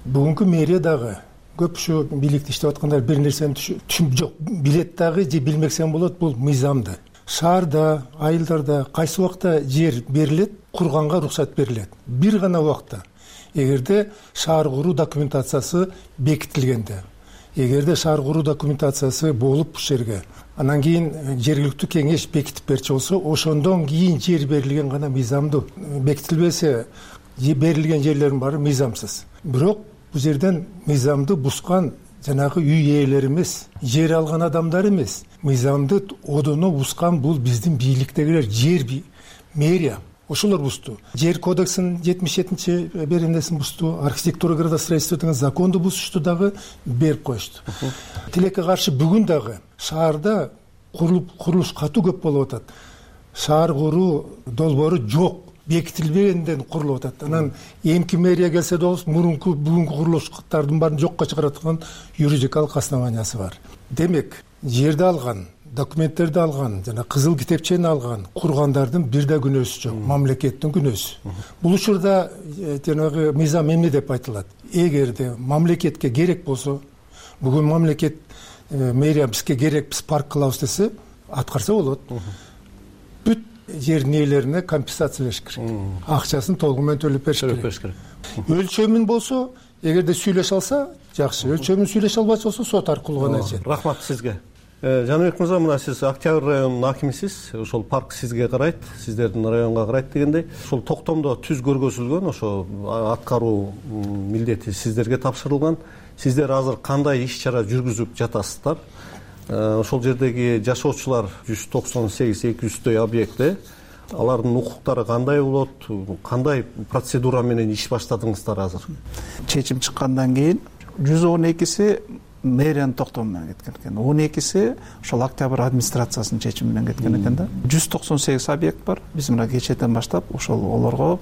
бүгүнкү мэрия дагы көп ушу бийликте иштеп аткандар бир нерсени түшүнүп жок, билет дагы же билмесем болот, бул мыйзамды. Шаарда, айылдарда кайсы убакта жер берилет, курганга уруксат берилет. Бир гана убакта. Эгерде шаар куруу документациясы бекитилгенде, эгерде шаар куруу документациясы болуп ушул жерге, анан кийин жергиликтүү кеңеш бекитип берчү болсо, ошондон кийин жер берилген гана мыйзамдуу. Бекитилбесе, берилген жерлердин баары мыйзамсыз. Бирок бул жерден мыйзамды бускан жанагы үй ээлери эмес, жер алган адамдар эмес, мыйзамды одоно бускан бул биздин бийликтегилер, жер мэрия. Ошолор бусту. Жер кодексинин 77-чи беренесин бусту, архитектура градостроительство деген законду бузушту дагы, берип коюшту. Тилекке каршы бүгүн дагы шаарда курулуш катуу көп болуп атат. Шаар куруу долбоору жок, бекитилбегенден курулуп атат. Анан эмки мэрия келсе болсо, мурунку бүгүнкү курулуштардын баарын жокко чыгараткан юридикалык основаниясы бар. Демек, жерди алган, документтерди алган, жана кызыл китепчени алган кургандардын бир да күнөөсү жок, мамлекеттин күнөөсү. Бул учурда жанагы мыйзам эмне деп айтылат? Эгерде мамлекетке керек болсо, бүгүн мамлекет мэрия бизге керек, биз парк кылабыз десе, аткарса болот. Бүт жердин ээлерине компенсация бериш керек. Акчасын толугу менен төлөп бериш керек. Өлчөмүн болсо, эгерде сүйлөшө алса, жакшы. Өлчөмүн сүйлөшө албайча болсо, сот аркылуу гана жер. Рахмат сизге. Жаныбек мырза, мына сиз Октябрь районунун акимисиз. Ошол парк сизге карайт, сиздердин районго карайт дегендей. Ошол токтомдо түз көргөзүлгөн, ошо аткаруу милдети сиздерге тапшырылган. Сиздер азыр кандай иш-чара жүргүзүп жатасыздар? Ошол жердеги жашоочулар 198-200дөй объектте, алардын укуктары кандай болот? Кандай процедура менен иш баштадыңыздар азыр? Чечим чыккандан кийин 112си мэриянын токтому менен кеткен экен. 12си ошол Октябрь администрациясынын чечими менен кеткен экен да. 198 объект бар. Биз мына кечээден баштап ошол олорго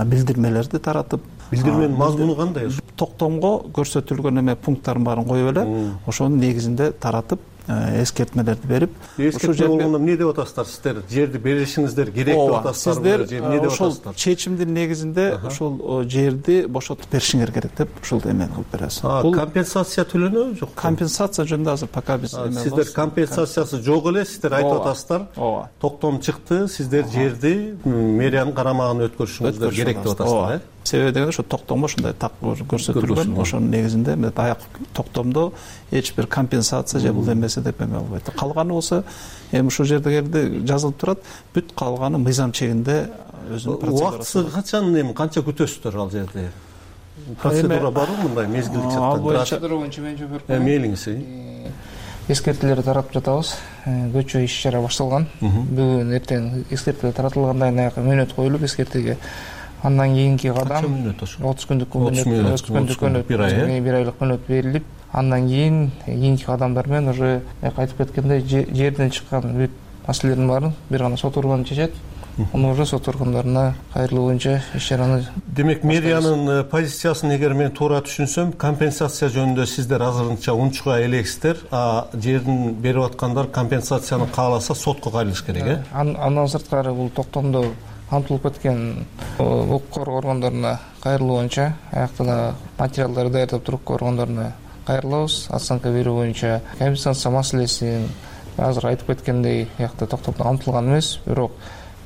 билдирмелерди таратып, билдирменин мазмуну кандай? Токтомго көрсөтүлгөн эме пункттардын баарын коюп эле, ошонун негизинде таратып, эскертмелерди берип, эскертме болгондо эмне деп атасыздар? Сиздер жерди беришиңиздер керек деп атасыздар? Сиздер ошол чечимдин негизинде ошол жерди бошотуп беришиңер керек деп ушул эмени кылып беребиз. Компенсация төлөнөбү жокпу? Компенсация жөнүндө азыр пока биз сиздер компенсациясы жок эле, сиздер айтып атасыздар. Токтом чыкты, сиздер жерди мэриянын карамагына өткөрүшүңүздөр керек деп атасыздар, себеби дегенде ошо токтомго ушундай так көрсөтүлгөн. Ошонун негизинде аяк токтомдо эч бир компенсация же бул эмеси деп эме албайт. Калганы болсо эми ушул жерде жазылып турат, бүт калганы мыйзам чегинде өзүнүн процедурасы. Убактысы качан эми канча күтөсүздөр ал жерде? Процедура барбы мындай мезгилдик жактан? Процедура боюнча мен жооп берип коеюн. Мейлиңиз. Эскертүүлөрдү таратып жатабыз. Көчүү иш-чара башталган. Бүгүн эртең эскертүү таратылгандан аяка мөөнөт коюлуп эскертүүгө. Андан кийинки кадам 30 күндүк бир айлык мөөнөт берилип, андан кийинки кадамдар менен уже айтып кеткендей жерден чыккан бүт маселелердин баарын бир гана сот органы чечет. Аны уже сот органдарына кайрылуу боюнча иш-чараны. Демек, мэриянын позициясын эгер мен туура түшүнсөм, компенсация жөнүндө сиздер азырынча унчуга элексиздер, а жерин берип аткандар компенсацияны кааласа сотко кайрылыш керек, э? Андан сырткары бул токтомдо камтылып кеткен укук коргоо органдарына кайрылуу боюнча аякта да материалдарды даярдап туруп органдарына кайрылабыз. Оценка берүү боюнча компенсация маселесин азыр айтып кеткендей аякта токтомдо камтылган эмес, бирок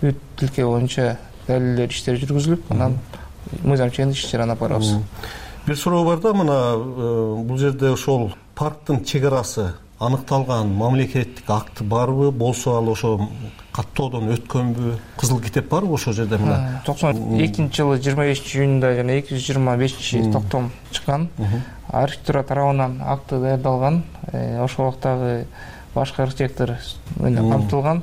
бүт тилке боюнча далилдер иштери жүргүзүлүп, анан мыйзам чегинде иш-чараны алып барабыз. Бир суроо бар да, мына бул жерде ошол парктын чек арасы аныкталган мамлекеттик акт барбы, болсо ал ошо каттоодон өткөнбү, кызыл китеп барбы ошол жерде? Мына 92-жылы 25-июнда жана 225-токтом чыккан. Архитектура тарабынан акты даярдалган. Ошол убактагы башкы архитектор менен камтылган.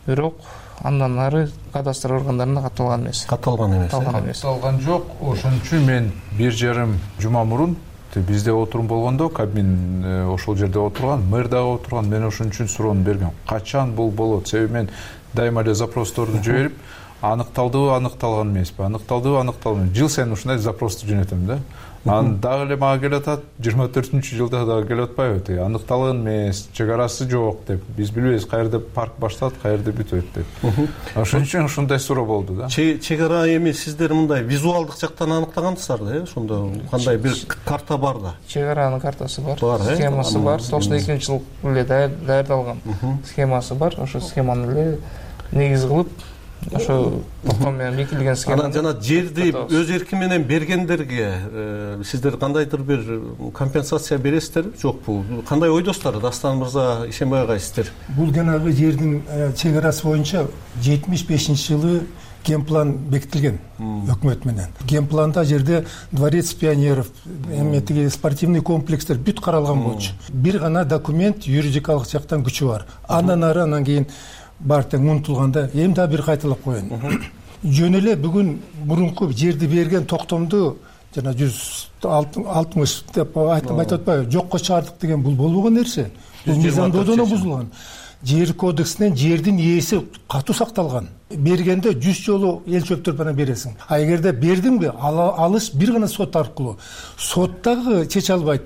Бирок андан ары кадастр органдарына катталган эмес. Катталган жок. Ошон үчүн мен 1,5 жума мурун бизде отурум болгондо Кабмин ошол жерде отурган, мэр дагы отурган. Мен ошон үчүн суроону бергем. Качан бул болот? Себеби мен дайыма эле запросторду жиберип, аныкталдыбы, аныкталган эмеспи, аныкталдыбы, аныкталган. Жыл сайын ушундай запросту жөнөтөм да. Анан дагы эле мага келатат, 24-жылда дагы келип атпайбы? Аныкталган эмес, чек арасы жок деп. Биз билбейбиз каерде парк башталат, каерде бүтөт деп. Ошон үчүн ушундай суроо болду да. Чек ара эми сиздер мындай визуалдык жактан аныктагансыздар да, ошондо кандай бир карта бар да? Чек аранын картасы бар, схемасы бар. 92-жылы эле даярдалган схемасы бар. Ошо схеманы эле негиз кылып, ошо токтом менен бекитилген схема. Анан жана жерди өз эрки менен бергендерге сиздер кандайдыр бир компенсация бересиздерби, жокпу? Кандай ойдосуздар, Дастан мырза, Ишенбай агай, сиздер? Бул жанагы жердин чек арасы боюнча 75-жылы генплан бекитилген өкмөт менен. Генпланда жерде дворец пионеров, эметиги спортивный комплекстер бүт каралган болчу. Бир гана документ юридикалык жактан күчү бар. Андан ары анан кийин бартең унутулганда эми да бир кайталап коеюн. Жөн эле бүгүн мурунку жерди берген токтомду жана 160 деп айтып атпайбы, жокко чыгардык деген бул болбогон нерсе. Бул мыйзамдоодон бузулган. Жер кодексинен жердин ээси катуу сакталган. Бергенде 100 жолу эл чөптөрүп анан бересиң. А эгерде бердиңби, алыш бир гана сот аркылуу. Сот дагы чече албайт.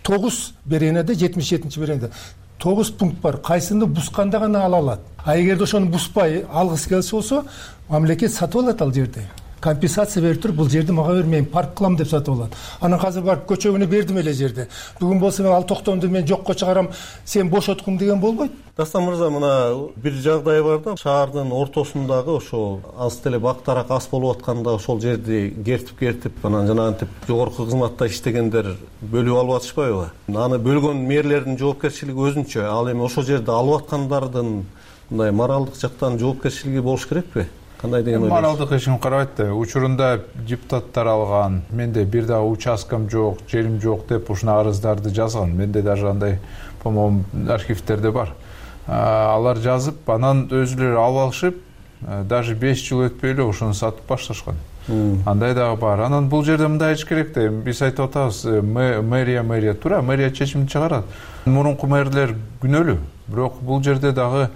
9 беренеде, 77-чи беренеде 9 пункт бар. Кайсыны бусканда гана ала алат. А эгерде ошону буспай алгысы келсе болсо, мамлекет сатып алат ал жерди. Компенсация берип туруп, бул жерди мага бер, мен парк кылам деп сатып алат. Анан азыр барып көчөгүнө бердим эле жерди. Бүгүн болсо мен ал токтомду мен жокко чыгарам, сен бошоткун деген болбойт. Дастан мырза, мына бир жагдай бар да, шаардын ортосундагы ошо аз деле бактарак ас болуп атканда ошол жерди кертип анан жанагынтип жогорку кызматта иштегендер бөлүп алып атышпайбы? Аны бөлгөн мэрлердин жоопкерчилиги өзүнчө. Ал эми ошол жерди алып аткандардын мындай моралдык жактан жоопкерчилиги болуш керекпи? Моралдык эч ким карабайт да. Учурунда депутаттар алган, менде бир дагы участкам жок, жерим жок деп ушуна арыздарды жазган. Менде даже андай, по-моему, архивтерде бар. Алар жазып, анан өзүлөрү алып алышып, даже 5 жыл өтпөй эле ошону сатып башташкан. Андай дагы бар. Анан бул жерде мындай эч керек да. Биз айтып атабыз, мэрия туура, мэрия чечим чыгарат. Мурунку мэрлер күнөөлүү. Бирок бул жерде дагы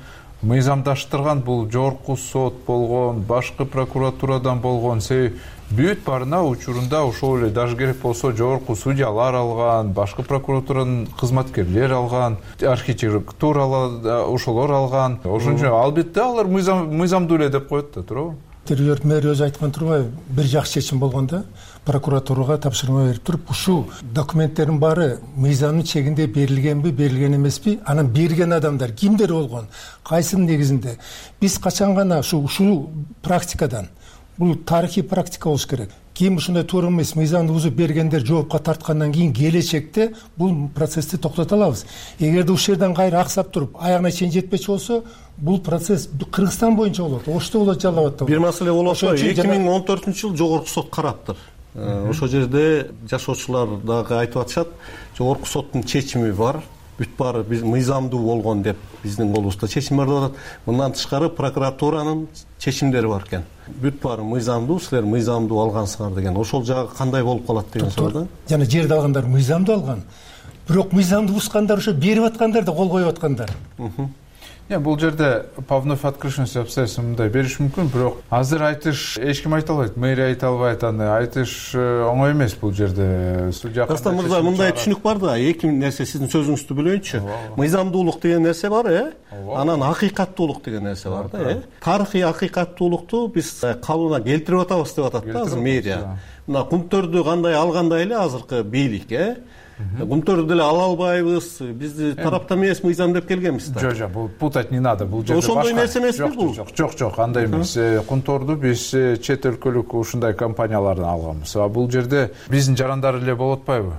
мыйзамдаштырган, бул жогорку сот болгон, башкы прокуратурадан болгон, себеби бүт баарына учурунда ошол эле, даже керек болсо жогорку судьялар алган, башкы прокуратуранын кызматкерлери алган, архитектуралар ошолор алган. Ошон үчүн албетте алар мыйзамдуу эле деп коет да, туурабы? Территориялык мэр өзү айткан турбайбы, бир жакшы чечим болгондо прокуратурага тапшырма берип туруп, ушул документтердин баары мыйзамдын чегинде берилгенби, берилген эмеспи, анан берген адамдар кимдер болгон, кайсынын негизинде. Биз качан гана ушул практикадан бул тарыхый практика болуш керек. Кийин ушундай туура эмес мыйзамды бузуп бергендер жоопко тарткандан кийин келечекте бул процессти токтото алабыз. Эгерде ушул жерден кайра аксап туруп аягына чейин жетпечи болсо, бул процесс Кыргызстан боюнча болот. Ошто болот, жалап атат. Бир маселе болот. 2014-жылы жогорку сот караптыр. Ошол жерде жашоочулар дагы айтып атышат, жогорку соттун чечими бар. Бүт баары биз мыйзамдуу болгон деп биздин колубузда чечим бар деп атат. Мындан тышкары прокуратуранын чечимдери бар экен. Бүт баары мыйзамдуу, силер мыйзамдуу алгансыңар деген. Ошол жагы кандай болуп калат деген суроо да. Жана жерди алгандар мыйзамдуу алган. Бирок мыйзамды бузгандар ошо берип аткандар да кол коюп аткандар. Бул жерде по вновь открывшимся обстоятельствам мындай бериш мүмкүн, бирок азыр айтыш эч ким айта албайт, мэрия айта албайт, аны айтыш оңой эмес бул жерде. Судья Дастан мырза, мындай түшүнүк бар да, эки нерсе сиздин сөзүңүздү бөлөйүнчү. Мыйзамдуулук деген нерсе бар, анан акыйкаттуулук деген нерсе бар да. Тарыхый акыйкаттуулукту биз калыбына келтирип атабыз деп атат да азыр мэрия. Мына кумтөрдү кандай алгандай эле азыркы бийлик, Кумтөрдү деле ала албайбыз, бизди тараптан эмес мыйзам деп келгенбиз да. Жок, бул путать не надо, бул жерде ошондой нерсе эмеспи бул? Жок, андай эмес. Кумтөрдү биз чет өлкөлүк ушундай компаниялардан алганбыз. Бул жерде биздин жарандар эле болуп атпайбы?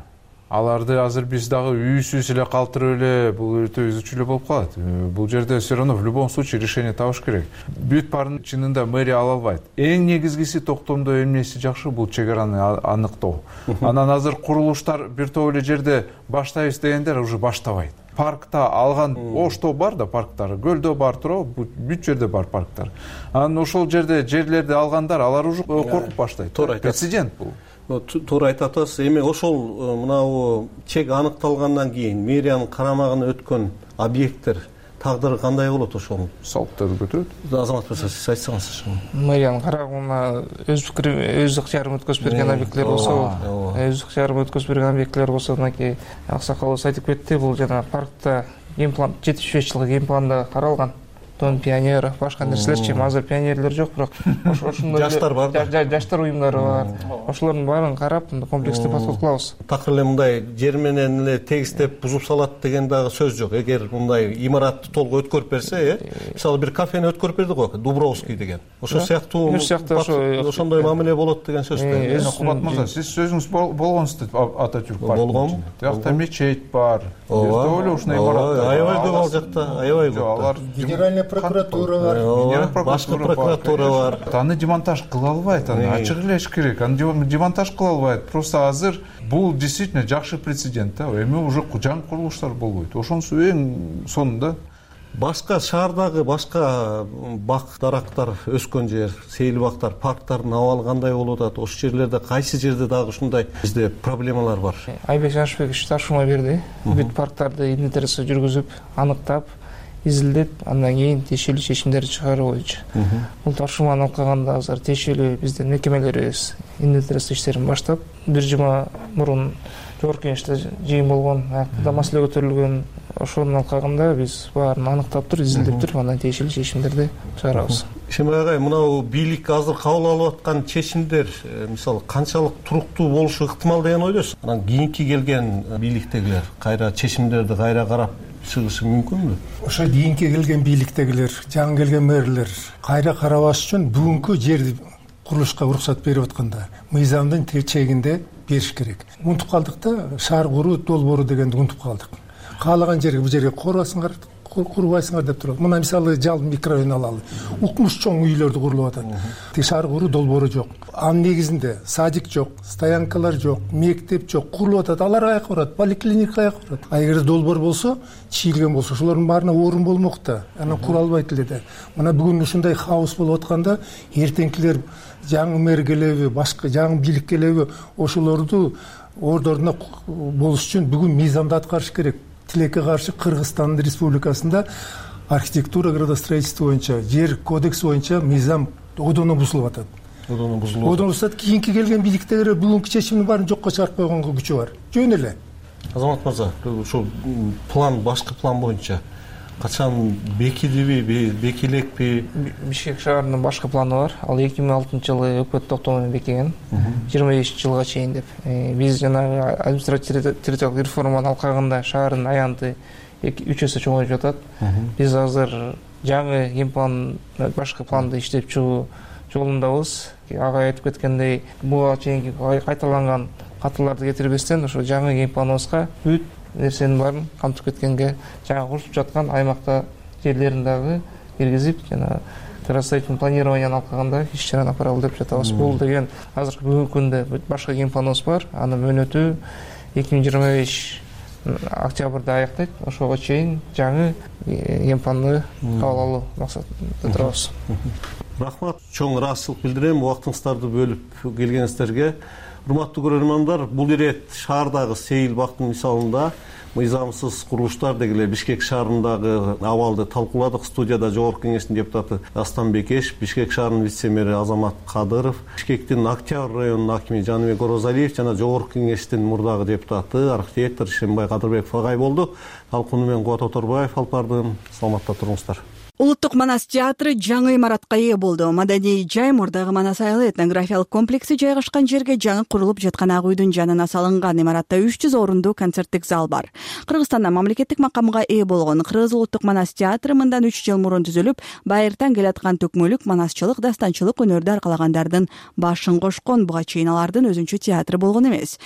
Аларды азыр биз дагы үйсүз эле калтырып эле бул өтө үзүчү эле болуп калат. Бул жерде все равно в любом случае решение табыш керек. Бүт баарын чынында мэрия ала албайт. Эң негизгиси токтомдо эмнеси жакшы, бул чек араны аныктоо. Анан азыр курулуштар бир топ эле жерде баштайбыз дегендер уже баштабайт. Паркта алган ошто бар да парктар, көлдө бар туурабы, бүт жерде бар парктар. Анан ошол жерде жерлерди алгандар, алар уже коркуп баштайт. Прецедент бул. Туура айтып атасыз. Эми ошол мынау чек аныкталгандан кийин мэриянын карамагына өткөн объекттер тагдыры кандай болот ошол? Салттарды көтөрөт. Азамат мырза, сиз айтсаңыз. Мэриянын карамагына өз ыктыярын өткөзүп берген объекттер болсо, өз ыктыярын өткөзүп берген объекттер болсо, мынакей аксакалыбыз айтып кетти, бул жана паркта геймплан 75 жылкы геймпланда каралган. Дон пионер, башка нерселерчи, азыр пионерлер жок, бирок ошондой жаштар бар да. Жаштар уюмдары бар. Ошолордун баарын карап, комплекстүү подход кылабыз. Такыр эле мындай жер менен эле тегистеп бузуп салат деген дагы сөз жок. Эгер мындай имаратты толук өткөрүп берсе, мисалы бир кафени өткөрүп берди го, Дубровский деген. Ошол сыяктуу ошондой мамиле болот деген сөз да. Кубат мырза, сиз сөзүңүз болгонсуз Ататюрк паркында. Болгон. Тиякта мечет бар. Ошол ушундай имарат. Аябай көп ал жакта, аябай көп. Алар федеральный прокуратура бар, башка прокуратура бар. Аны демонтаж кыла албайт, аны ачык эле керек. Аны демонтаж кыла албайт. Просто азыр бул действительно жакшы прецедент да. Эми уже жаңы курулуштар болбойт. Ошонусу эң сонунда башка шаардагы башка бак дарактар өскөн жер, сейил бактар, парктардын абалы кандай болуп атат? Ошол жерлерде кайсы жерде дагы ушундай бизде проблемалар бар? Айбек Жанышбекович тапшырма берди. Бүт парктарды инвентаризация жүргүзүп, аныктап, изилдеп, андан кийин тиешелүү чечимдерди чыгаруу боюнча. Бул тапшырманы алып калганда азыр тиешелүү биздин мекемелерибиз инвентаризация иштерин баштап, бир жума мурун жогорку кеңеште жыйын болгон, аякта маселе көтөрүлгөн. Ошону алып калганда биз баарын аныктап туруп, изилдеп туруп, андан тиешелүү чечимдерди чыгарабыз. Шембай агай, мынау бийлик азыр кабыл алып аткан чечимдер, мисалы, канчалык туруктуу болушу ыктымал деген ойдосуз? Анан кийинки келген бийликтегилер кайра чечимдерди кайра карап чыгышы мүмкүнбү? Ошо кийинки келген бийликтегилер, жаңы келген мэрлер кайра карабаш үчүн бүгүнкү жерди курулушка уруксат берип атканда мыйзамдын чегинде бериш керек. Унутуп калдык да, шаар куруу долбоору дегенди унутуп калдык. Каалаган жерге бул жерге курбасыңар, курбайсыңар деп турат. Мына мисалы Жал микрорайон алалы. Укмуш чоң үйлөрдү курулуп атат. Шаар куруу долбоору жок. Анын негизинде садик жок, стоянкалар жок, мектеп жок, курулуп атат. Алар каяка барат? Поликлиника каяка барат? Эгер долбоор болсо, чийилген болсо, ошолордун баарына орун болмок да. Анан кура албайт эле да. Мына бүгүн ушундай хаос болуп атканда, эртеңкилер жаңы мэр келеби, башка жаңы бийлик келеби, ошолорду ордоруна болуш үчүн бүгүн мыйзамды аткарыш керек. Тилекке каршы Кыргызстан Республикасында архитектура градостроительство боюнча, жер кодекси боюнча мыйзам одоно бузулуп атат. Одоно бузулуп атат. Кийинки келген бийликтегилер бүгүнкү чечимдин баарын жокко чыгарып койгонго күчү бар. Жөн эле. Азамат мырза, ошол план, башкы план боюнча качан бекидиби, бекилекпи? Бишкек шаарынын башкы планы бар. Ал 2006-жылы өкмөт токтому менен бекиген. 25 жылга чейин деп. Биз жанагы административдик реформаны алып калганда шаардын аянты 3 эсе чоңоюп жатат. Биз азыр жаңы геймплан, башкы планды иштеп чыгуу жолундабыз. Ага айтып кеткендей, буга чейинки кайталанган катыларды кетирбестен ошо жаңы геймпланыбызга бүт нерсенин баарын камтып кеткенге, жаңы курушуп жаткан аймакта жерлерин дагы киргизип, жана градостроительный планированияны алып калганда иш-чараны апаралы деп жатабыз. Бул деген азыркы бүгүнкү күндө башка геймпланыбыз бар. Анын мөөнөтү 2025 октябрда аяктайт. Ошого чейин жаңы геймпланды кабыл алуу максатында турабыз. Рахмат, чоң ыраазычылык билдирем убактыңыздарды бөлүп келгениңиздерге. Урматтуу көрөрмандар, бул ирет шаардагы сейил бактын мисалында мыйзамсыз курулуштар дегеле Бишкек шаарындагы абалды талкууладык. Студияда Жогорку кеңештин депутаты Дастан Бекеш, Бишкек шаарынын вице-мэри Азамат Кадыров, Бишкектин Октябрь районунун акими Жаныбек Орозалиев жана Жогорку кеңештин мурдагы депутаты архитектор Ишембай Кадырбеков агай болду. Талкууну мен Кубат Оторбаев алып бардым. Саламатта туруңуздар. Улуттук Манас театры жаңы имаратка ээ болду. Маданий жай мурдагы Манас айылы этнографиялык комплекси жайгашкан жерге жаңы курулуп жаткан ак үйдүн жанына салынган имаратта 300 орундуу концерттик зал бар. Кыргызстанда мамлекеттик макамга ээ болгон Кыргыз Улуттук Манас театры мындан 3 жыл мурун түзүлүп, байыртан келаткан төкмөлүк манасчылык, дастанчылык өнөрдү аркалагандардын башын кошкон. Буга чейин алардын өзүнчө театры болгон эмес.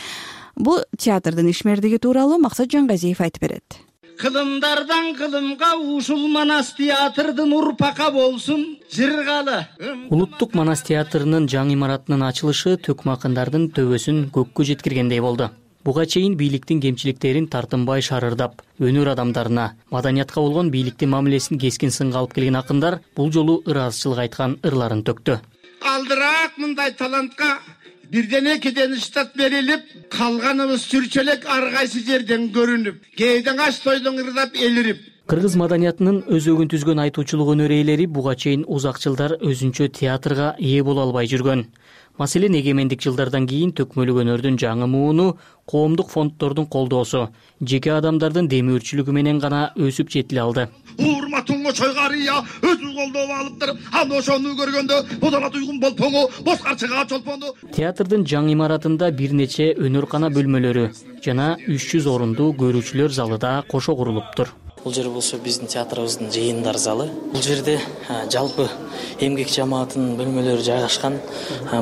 Бул театрдын ишмердиги тууралуу Максат Жангазиев айтып берет. Кылымдардан кылымга ушул Манас театрдын урпака болсун жыргалы. Улуттук Манас театрынын жаңы имаратынын ачылышы төкмакындардын төбөсүн көккө жеткиргендей болду. Буга чейин бийликтин кемчиликтерин тартынбай шарырдап, өнөр адамдарына, маданиятка болгон бийликтин мамилесин кескин сынга алып келген акындар бул жолу ыраазычылык айткан ырларын төктү. Алдыраак мындай талантка бирден экиден штат берилип, калганыбыз сүрчөлөк ар кайсы жерден көрүнүп, кээден аш тойдон ырдап элирип. Кыргыз маданиятынын өзөгүн түзгөн айтуучулук өнөр ээлери буга чейин узак жылдар өзүнчө театрга ээ боло албай жүргөн. Маселен, эгемендик жылдардан кийин төкмөлүк өнөрдүн жаңы мууну коомдук фонддордун колдоосу, жеке адамдардын демөөрчүлүгү менен гана өсүп жетиле алды. Урматыңго чойгарыя өзү колдоп алыптыр. Аны ошону көргөндө бодолот уйгун болпоңу, боскарчыга чолпону. Театрдын жаңы имаратында бир нече өнөркана бөлмөлөрү жана 300 орундуу көрүүчүлөр залы да кошо курулуптур. Бул жер болсо биздин театрыбыздын жыйындар залы. Бул жерде жалпы эмгек жамаатынын бөлмөлөрү жайгашкан.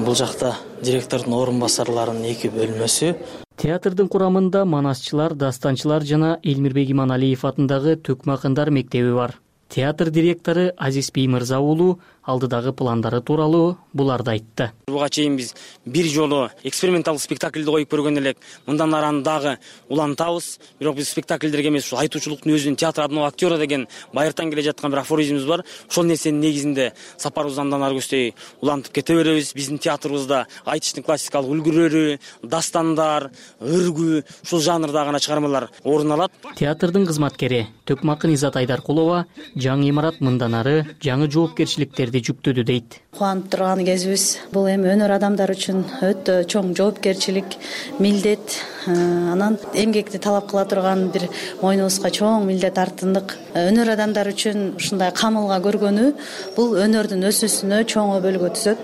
Бул жакта директордун орун басарларынын 2 бөлмөсү. Театрдын курамында манасчылар, дастанчылар жана Элмирбек Иманалиев атындагы төкмакындар мектеби бар. Театр директору Азизбей Мырза уулу алдыдагы пландары тууралуу буларды айтты. Буга чейин биз бир жолу эксперименталдык спектакльди коюп көргөн элек. Мындан ары дагы улантабыз. Бирок биз спектакльдерге эмес, ушул айтуучулуктун өзүнүн театр адына актера деген байыртан келе жаткан бир афоризмибиз бар. Ошол нерсенин негизинде сапарыбызды андан ары көздөй улантып кете беребиз. Биздин театрыбызда айтыштын классикалык үлгүлөрү, дастандар, ыргүү, ушул жанрда гана чыгармалар орун алат. Театрдын кызматкери Төкмакын Изат Айдаркулова жаңы имарат мындан ары жаңы жоопкерчиликтерди жүктөдү дейт. Кубанып турган кезибиз. Бул эми өнөр адамдар үчүн өтө чоң жоопкерчилик, милдет, анан эмгекти талап кыла турган бир мойнубузга чоң милдет артындык. Өнөр адамдар үчүн ушундай камылга көргөнү бул өнөрдүн өсүүсүнө чоң бөлгү түзөт.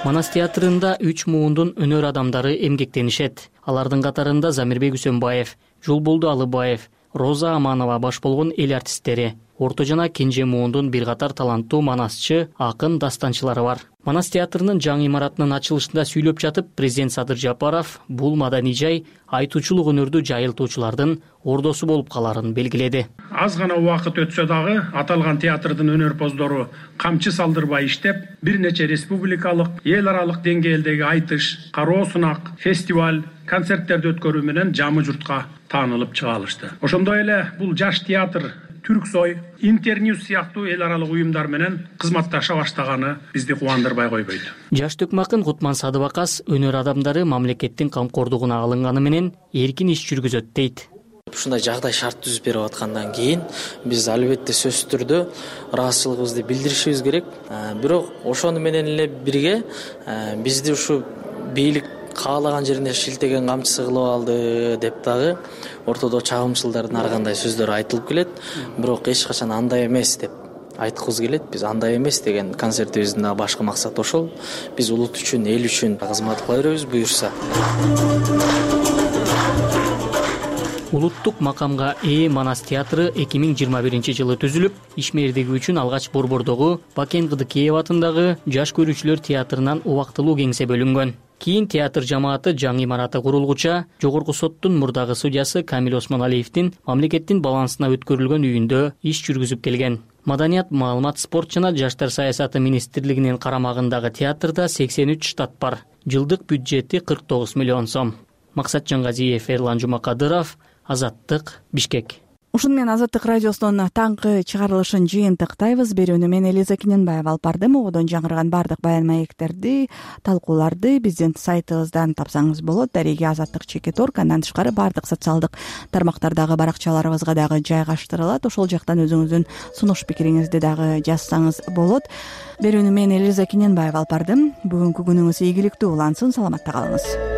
Манас театрында 3 муундун өнөр адамдары эмгектенишет. Алардын катарында Замирбек Үсөнбаев, Жулбулду Алыбаев, Роза Аманова баш болгон эл артисттери, орто жана кенже муундун бир катар таланттуу манасчы, акын, дастанчылары бар. Манас театрынын жаңы имаратынын ачылышында сүйлөп жатып, президент Садыр Жапаров бул маданий жай айтуучулук өнөрдү жайылтуучулардын ордосу болуп каларын белгиледи. Аз гана убакыт өтсө дагы аталган театрдын өнөрпоздору камчы салдырбай иштеп, бир нече республикалык, эл аралык деңгээлдеги айтыш, кароо сунак, фестиваль, концерттерди өткөрүү менен жамы журтка таанылып чыга алышты. Ошондой эле бул жаш театр Түрксой, Интерньюз сыяктуу эл аралык уюмдар менен кызматташа баштаганы бизди кубандырбай койбойт. Жаш Төкмакын Кутман Садыбакас өнөр адамдары мамлекеттин камкордугуна алынганы менен эркин иш жүргүзөт дейт. Ушундай жагдай шарт түзүп берип аткандан кийин биз албетте сөзсүз түрдө ыраазычылыгыбызды билдиришибиз керек. Бирок ошону менен эле бирге бизди ушу бийлик каалаган жерине шилтеген камчысы кылып алды деп дагы ортодо чагымчылдардын ар кандай сөздөр айтылып келет. Бирок эч качан андай эмес деп айткыбыз келет. Биз андай эмес деген концертибиздин дагы башкы максаты ошол. Биз улут үчүн, эл үчүн кызмат кыла беребиз буюрса. Улуттук макамга ээ Манас театры 2021-жылы түзүлүп, ишмердиги үчүн алгач Борбордогу Бакен Кыдыкеев атындагы Жаш көрүүчүлөр театрынан убактылуу кеңсе бөлүнгөн. Кийин театр жамааты жаңы имараты курулгуча Жогорку соттун мурдагы судьясы Камил Осмоналиевдин мамлекеттин балансына өткөрүлгөн үйүндө иш жүргүзүп келген. Маданият, маалымат, спорт жана жаштар саясаты министрлигинин карамагындагы театрда 83 штат бар. Жылдык бюджети 49 миллион сом. Максат Жангазиев, Эрлан Жумакадыров, Азаттык, Бишкек. Ушуну менен Азаттык радиосунун таңкы чыгарылышын жыйынтыктайбыз. Берүүнү мен Элиза Кененбаева алып бардым. Ободон жаңырган бардык баян маектерди, талкууларды биздин сайтыбыздан тапсаңыз болот. Дареги Азаттык.org. Андан тышкары бардык социалдык тармактардагы баракчаларыбызга дагы жайгаштырылат. Ошол жактан өзүңүздүн сунуш пикириңизди дагы жазсаңыз болот. Берүүнү мен Элиза Кененбаева алып бардым. Бүгүнкү күнүңүз ийгиликтүү улансын. Саламатта калыңыз.